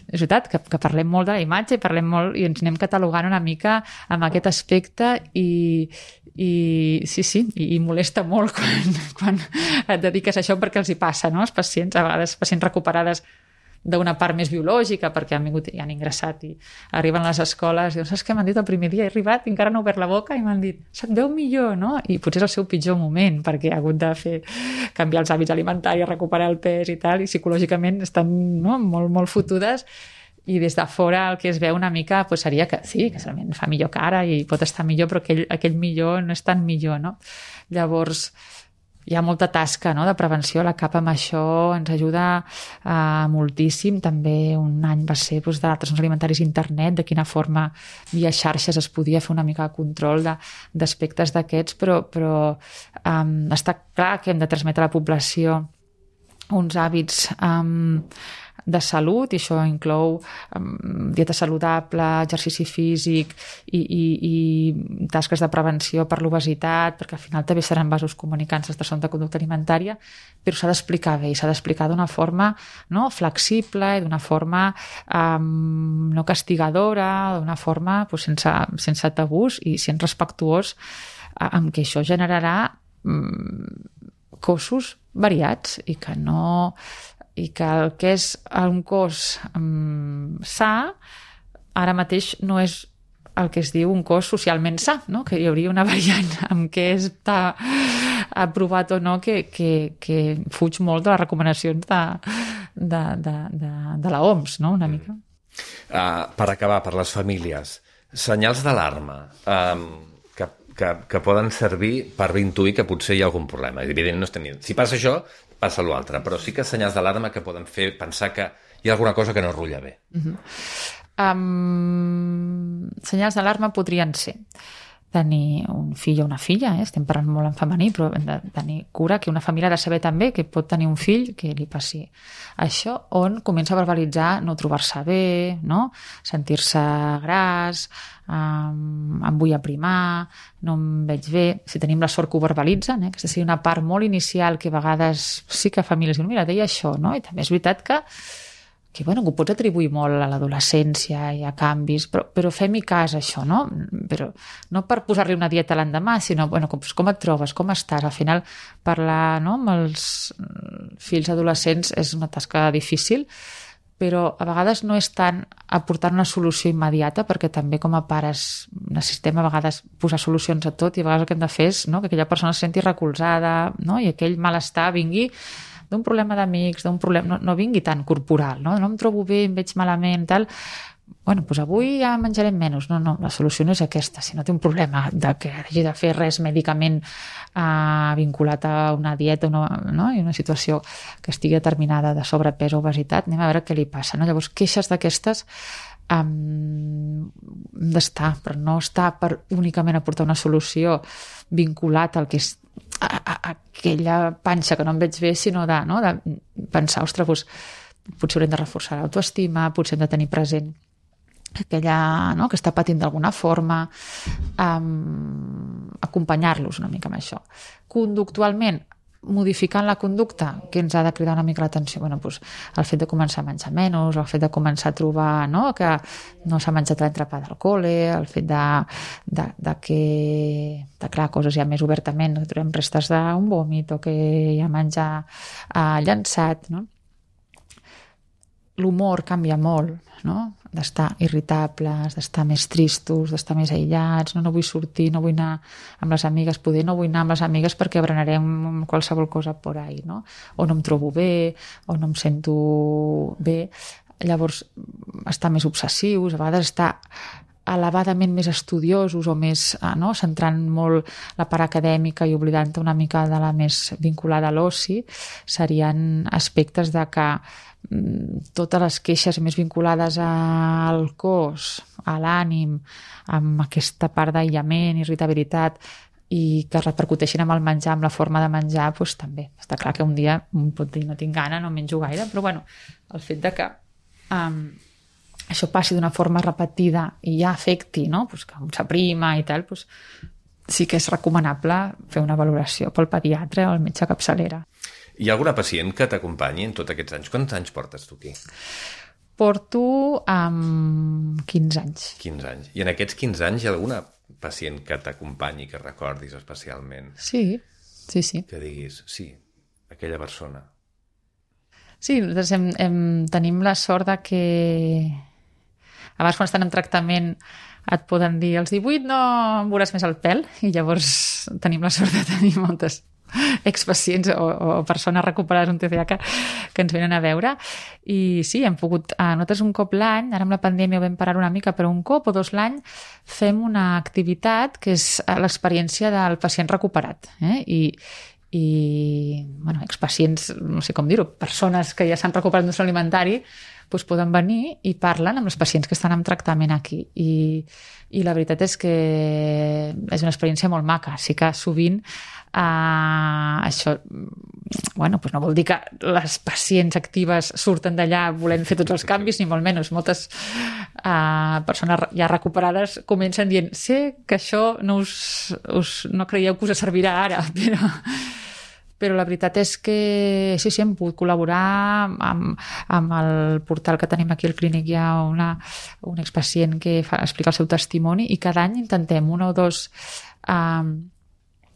és veritat, que, que parlem molt de la imatge i parlem molt i ens anem catalogant una mica amb aquest aspecte i, i sí, sí, i, i molesta molt quan, quan et dediques a això perquè els hi passa, no? Els pacients, a vegades pacients recuperades d'una part més biològica, perquè han vingut i han ingressat i arriben a les escoles i diuen, saps què m'han dit el primer dia? He arribat i encara no he obert la boca i m'han dit, se't veu millor, no? I potser és el seu pitjor moment, perquè ha hagut de fer canviar els hàbits alimentaris, recuperar el pes i tal, i psicològicament estan, no? molt, molt fotudes, i des de fora el que es veu una mica pues, seria que sí, que solament fa millor cara i pot estar millor, però aquell, aquell millor no és tan millor, no? Llavors, hi ha molta tasca, no? De prevenció, la C A P amb això ens ajuda eh, moltíssim. També un any va ser doncs, de trastorns alimentaris a internet, de quina forma via xarxes es podia fer una mica de control d'aspectes d'aquests, però, però eh, està clar que hem de transmetre a la població uns hàbits eh, de salut, i això inclou um, dieta saludable, exercici físic i, i, i tasques de prevenció per l'obesitat, perquè al final també seran vasos comunicants dels trastorns de conducta alimentària, però s'ha d'explicar bé i s'ha d'explicar d'una forma, no? Flexible i d'una forma um, no castigadora, d'una forma pues, sense, sense tabús i sent respectuós uh, amb que això generarà um, cossos variats i que no i que el que és un cos um, sa ara mateix no és el que es diu un cos socialment sa, no? Que hi hauria una variant amb què està aprovat o no que, que, que fuig molt de les recomanacions de, de, de, de, de la O M S, no? Una mica. Uh, per acabar, per les famílies, senyals d'alarma um, que, que, que poden servir per intuir que potser hi ha algun problema. Evidentment, no estem... Si passa això, passa l'altre, però sí que senyals d'alarma que poden fer pensar que hi ha alguna cosa que no rutlla bé. Uh-huh. Um, senyals d'alarma podrien ser tenir un fill o una filla, eh? Estem parlant molt en femení, però hem de tenir cura que una família ha de saber també que pot tenir un fill que li passi això, on comença a verbalitzar no trobar-se bé, no? Sentir-se gras, um, em vull aprimar, no em veig bé. Si tenim la sort que ho verbalitzen, eh? Aquesta seria una part molt inicial que a vegades sí que famílies diuen, mira, deia això, no? I també és veritat que que, bueno, que ho pots atribuir molt a l'adolescència i a canvis, però, però fem-hi cas a això, no? Però no per posar-li una dieta l'endemà, sinó, bueno, com, com et trobes, com estàs? Al final, parlar, no?, amb els fills adolescents és una tasca difícil, però a vegades no és tant aportar una solució immediata, perquè també com a pares necessitem a vegades posar solucions a tot, i a vegades el que hem de fer és, no?, que aquella persona es senti recolzada, no?, i aquell malestar vingui d'un problema d'amics, d'un problema, no, no vingui tan corporal, no? No em trobo bé, em veig malament, tal, bueno, doncs avui ja menjarem menys. No, no, la solució no és aquesta. Si no té un problema de que hagi de fer res mèdicament eh, vinculat a una dieta una, no? I una situació que estigui determinada de sobrepès o obesitat, anem a veure què li passa. No? Llavors, queixes d'aquestes um, d'estar, però no està per únicament aportar una solució vinculat al que és a, a, a aquella panxa que no em veig bé, sinó de, no? de pensar, ostres, doncs, potser haurem de reforçar l'autoestima, potser hem de tenir present aquella, no? que està patint d'alguna forma, um, acompanyar-los una mica amb això. Conductualment, modificant la conducta, que ens ha de cridar una mica l'atenció, bueno, doncs, el fet de començar a menjar menys, el fet de començar a trobar, no? que no s'ha menjat l'entrepà del col·le, el fet de, de, de que, de, clar, coses ja més obertament, que trobem restes d'un vòmit o que hi ha menjar eh, llançat, no? L'humor canvia molt, no? D'estar irritables, d'estar més tristos, d'estar més aïllats, no, no vull sortir, no vull anar amb les amigues, poder no vull anar amb les amigues perquè berenarem qualsevol cosa por ahí, no? O no em trobo bé, o no em sento bé. Llavors, estar més obsessius, a vegades estar elevadament més estudiosos o més, no? centrant molt la part acadèmica i oblidant una mica de la més vinculada a l'oci, serien aspectes de que totes les queixes més vinculades al cos, a l'ànim, amb aquesta part d'aïllament, irritabilitat, i que repercuteixin amb el menjar, amb la forma de menjar, doncs també. Està clar que un dia un pot dir no tinc gana, no menjo gaire, però bueno, el fet de que um, això passi d'una forma repetida i ja afecti, no? Pues que s'aprima i tal, pues sí que és recomanable fer una valoració pel pediatre o el metge capçalera. Hi ha alguna pacient que t'acompanyi en tots aquests anys? Quants anys portes tu aquí? Porto um, quinze anys. quinze anys. I en aquests quinze anys hi ha alguna pacient que t'acompanyi, que recordis especialment? Sí, sí, sí. Que diguis, sí, aquella persona. Sí, nosaltres hem, hem, tenim la sort de que abans quan estan en tractament et poden dir als divuit no em veuràs més el pèl, i llavors tenim la sort de tenir moltes expacients o, o persones recuperades d'un T C A que, que ens venen a veure, i sí, hem pogut, eh, nosaltres un cop l'any, ara amb la pandèmia ho vam parar una mica, però un cop o dos l'any fem una activitat que és l'experiència del pacient recuperat, eh? i i bueno, expacients, no sé com dir-ho, persones que ja s'han recuperat d'un alimentari, doncs poden venir i parlen amb els pacients que estan en tractament aquí, i, i la veritat és que és una experiència molt maca. Sí que sovint eh, això bueno, doncs no vol dir que les pacients actives surten d'allà volent fer tots els canvis, ni molt menys. Moltes eh, persones ja recuperades comencen dient sé que això no, us, us, no creieu que us servirà ara, però però la veritat és que sí, sí, hem pogut col·laborar amb, amb el portal que tenim aquí al clínic. Hi ha una, un expacient que fa, explica el seu testimoni, i cada any intentem una o dos eh,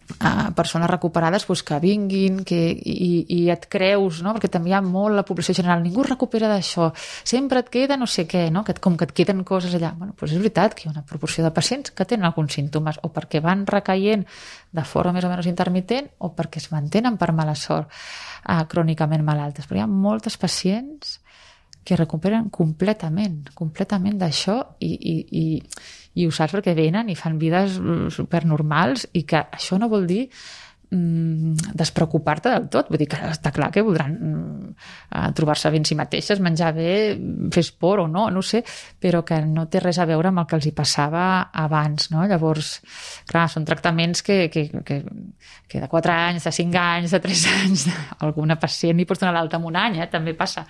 Uh, persones recuperades pues, que vinguin que, i, i et creus, no? Perquè també hi ha molt la població general, ningú es recupera d'això, sempre et queda no sé què, no? Que et, com que et queden coses allà. Bueno, pues és veritat que hi ha una proporció de pacients que tenen alguns símptomes, o perquè van recaient de forma més o menys intermitent, o perquè es mantenen per mala sort uh, crònicament malaltes. Però hi ha moltes pacients que recuperen completament, completament d'això, i, i, i, i ho saps perquè venen i fan vides supernormals, i que això no vol dir mm, despreocupar-te del tot. Vull dir que està clar que voldran mm, trobar-se bé en si mateixes, menjar bé, fer esport o no, no sé, però que no té res a veure amb el que els hi passava abans, no? Llavors, clar, són tractaments que, que, que, que de quatre anys, de cinc anys, de tres anys, alguna pacient li pots donar l'alta en un any, eh? També passa.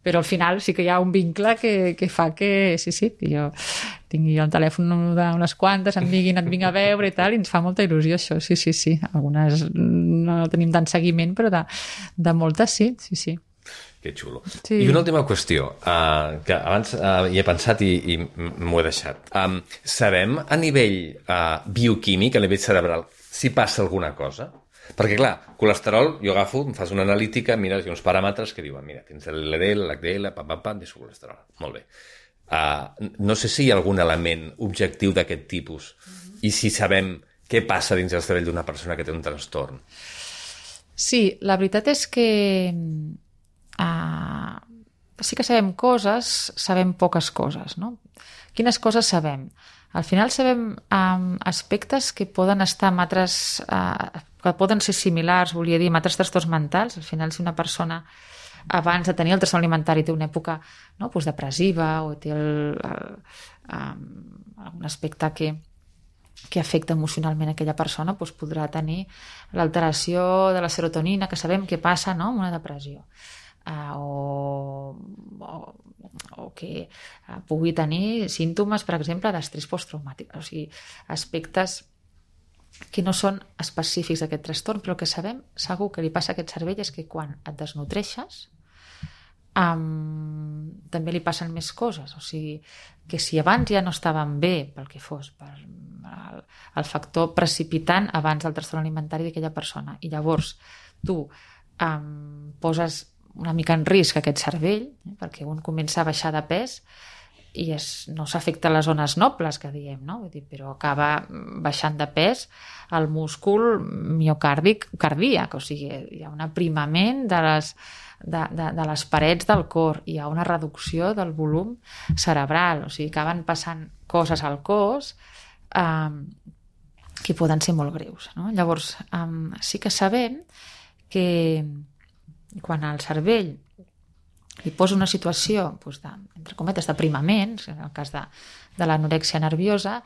Però al final sí que hi ha un vincle que, que fa que, sí, sí, que jo tingui el telèfon d'unes quantes, em diguin, et vinc a veure i tal, i ens fa molta il·lusió això, sí, sí, sí. Algunes no tenim tant seguiment, però de, de moltes sí, sí, sí. Que xulo. Sí. I una última qüestió, uh, que abans uh, hi he pensat i, i m'ho he deixat. Um, sabem a nivell uh, bioquímic, a nivell cerebral, si passa alguna cosa? Perquè, clar, colesterol, jo agafo, em fas una analítica, mires, hi ha uns paràmetres que diuen, mira, tens l'L D L, l'H D L, pam, pam, pam, tens colesterol. Molt bé. Uh, no sé si hi ha algun element objectiu d'aquest tipus, mm-hmm. i si sabem què passa dins el cervell d'una persona que té un trastorn. Sí, la veritat és que uh, sí que sabem coses, sabem poques coses, no? Quines coses sabem? Al final sabem um, aspectes que poden estar amb altres, uh, que poden ser similars, volia dir, amb altres trastorns mentals. Al final, si una persona abans de tenir el trastorn alimentari té una època, no, doncs depressiva o té el, el, um, un aspecte que, que afecta emocionalment aquella persona, doncs podrà tenir l'alteració de la serotonina, que sabem què passa, no?, amb una depressió. Uh, o, o, o que uh, pugui tenir símptomes, per exemple, d'estrès posttraumàtic. O sigui, aspectes que no són específics d'aquest trastorn, però que sabem segur que li passa a aquest cervell és que quan et desnutreixes um, també li passen més coses. O sigui, que si abans ja no estaven bé pel que fos, per el, el factor precipitant abans del trastorn alimentari d'aquella persona, i llavors tu um, poses una mica en risc aquest cervell, eh, perquè un comença a baixar de pes i es, no s'afecta les zones nobles, que diem, no? Vull dir, però acaba baixant de pes el múscul miocàrdic cardíac, o sigui, hi ha un aprimament de les, de, de, de les parets del cor, hi ha una reducció del volum cerebral, o sigui, acaben passant coses al cos eh, que poden ser molt greus, no? Llavors, eh, sí que sabem que quan el cervell li posa una situació, doncs de, entre cometes, d'aprimament, en el cas de, de l'anorèxia nerviosa,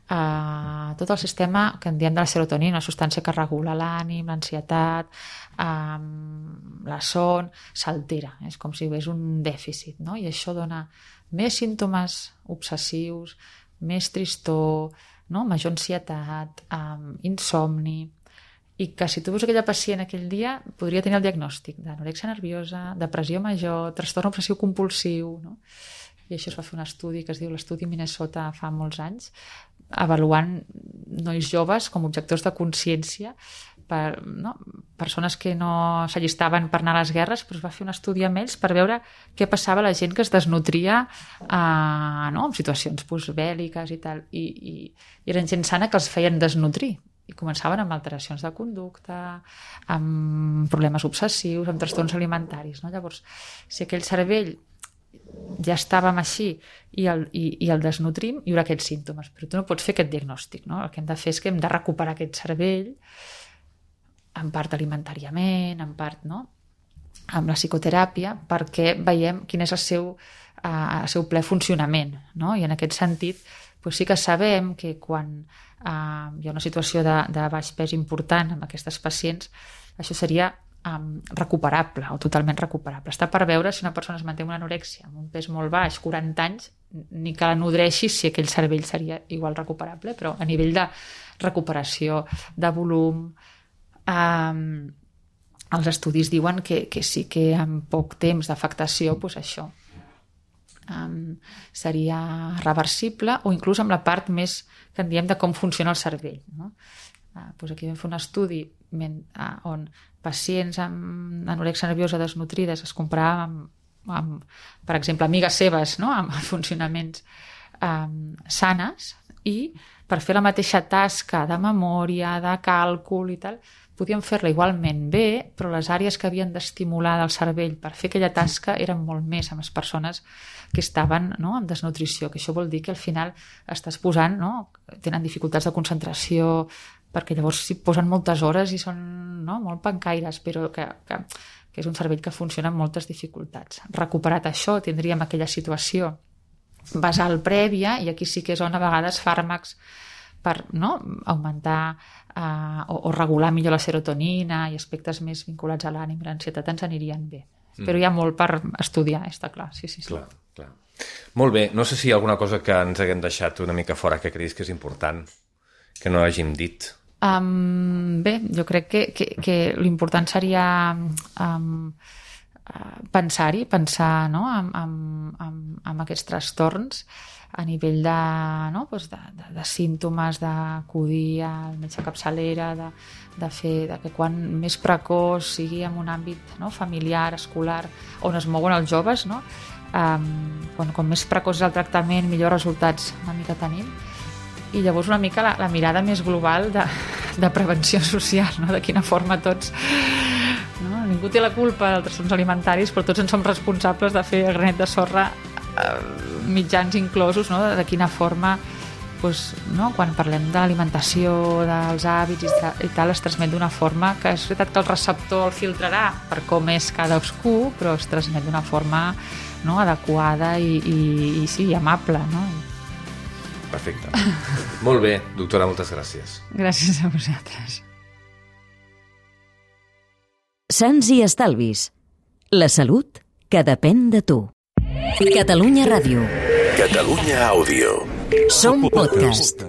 eh, tot el sistema que en diem de la serotonina, una substància que regula l'ànim, l'ansietat, eh, la son, s'altera. És com si hi hagués un dèficit, no? I això dona més símptomes obsessius, més tristor, no? Major ansietat, eh, insomni, i que si tu veus aquella pacient aquell dia podria tenir el diagnòstic d'anorèxia nerviosa, depressió major, trastorn obsessiu compulsiu, no? I això es va fer un estudi que es diu l'estudi Minnesota fa molts anys, avaluant nois joves com objectors de consciència, per, no? Persones que no s'allistaven per anar a les guerres, però es va fer un estudi amb ells per veure què passava a la gent que es desnutria eh, no? En situacions postbèl·liques i tal, i, i, i eren gent sana que els feien desnutrir, i començaven amb alteracions de conducta, amb problemes obsessius, amb trastorns alimentaris, no? Llavors, si aquell cervell ja estàvem així i el, i, i el desnutrim, hi haurà aquests símptomes, però tu no pots fer aquest diagnòstic, no? El que hem de fer és que hem de recuperar aquest cervell, en part alimentàriament, en part, no?, amb la psicoteràpia, perquè veiem quin és el seu, uh, el seu ple funcionament, no? I en aquest sentit, doncs sí que sabem que quan uh, hi ha una situació de, de baix pes important amb aquestes pacients, això seria um, recuperable o totalment recuperable. Està per veure si una persona es manté una anorèxia amb un pes molt baix, quaranta anys, ni que la nodreixi si aquell cervell seria igual recuperable, però a nivell de recuperació, de volum, um, els estudis diuen que, que sí que en poc temps d'afectació, doncs això, Um, seria reversible, o inclús amb la part més que en diem de com funciona el cervell, no? Uh, doncs aquí vam fer un estudi men, uh, on pacients amb anorèxia nerviosa desnutrides es comparaven amb, amb, per exemple, amigues seves, no?, amb funcionaments um, sanes, i per fer la mateixa tasca de memòria, de càlcul i tal, podíem fer-la igualment bé, però les àrees que havien d'estimular del cervell per fer aquella tasca eren molt més amb les persones que estaven, no?, en desnutrició, que això vol dir que al final estàs posant, no?, tenen dificultats de concentració, perquè llavors s'hi posen moltes hores i són, no?, molt pencaires, però que, que, que és un cervell que funciona amb moltes dificultats. Recuperat això, tindríem aquella situació basal prèvia, i aquí sí que és on a vegades fàrmacs per, no?, augmentar eh, o, o regular millor la serotonina i aspectes més vinculats a l'ànim i l'ansietat ens anirien bé. Mm. Però hi ha molt per estudiar, està clar. Sí, sí, sí. Clar, clar. Molt bé, no sé si hi ha alguna cosa que ens haguem deixat una mica fora que creguis que és important, que no hàgim dit. Um, bé, jo crec que, que, que l'important seria um, pensar-hi, pensar, no?, en, en, en, en aquests trastorns a nivell de, no?, doncs de, de, de símptomes, d'acudir al metge capçalera, de, de fer de que quan més precoç sigui en un àmbit, no?, familiar, escolar, on es mouen els joves, no?, um, quan, quan més precoç és el tractament, millors resultats una mica tenim. I llavors una mica la, la mirada més global de, de prevenció social, no?, de quina forma tots, no?, ningú té la culpa dels trastorns alimentaris, però tots en som responsables de fer el granet de sorra, eh, mitjans inclosos, no? De quina forma, doncs, no? Quan parlem de l'alimentació, dels hàbits i tal, es transmet d'una forma que és veritat que el receptor el filtrarà per com és cadascú, però es transmet d'una forma, no? Adequada i, i, i sí, amable, no? Perfecte. Molt bé, doctora, moltes gràcies. Gràcies a vosaltres. Sants i estalvis. La salut que depèn de tu. Catalunya Ràdio. Catalunya Àudio. Som podcast.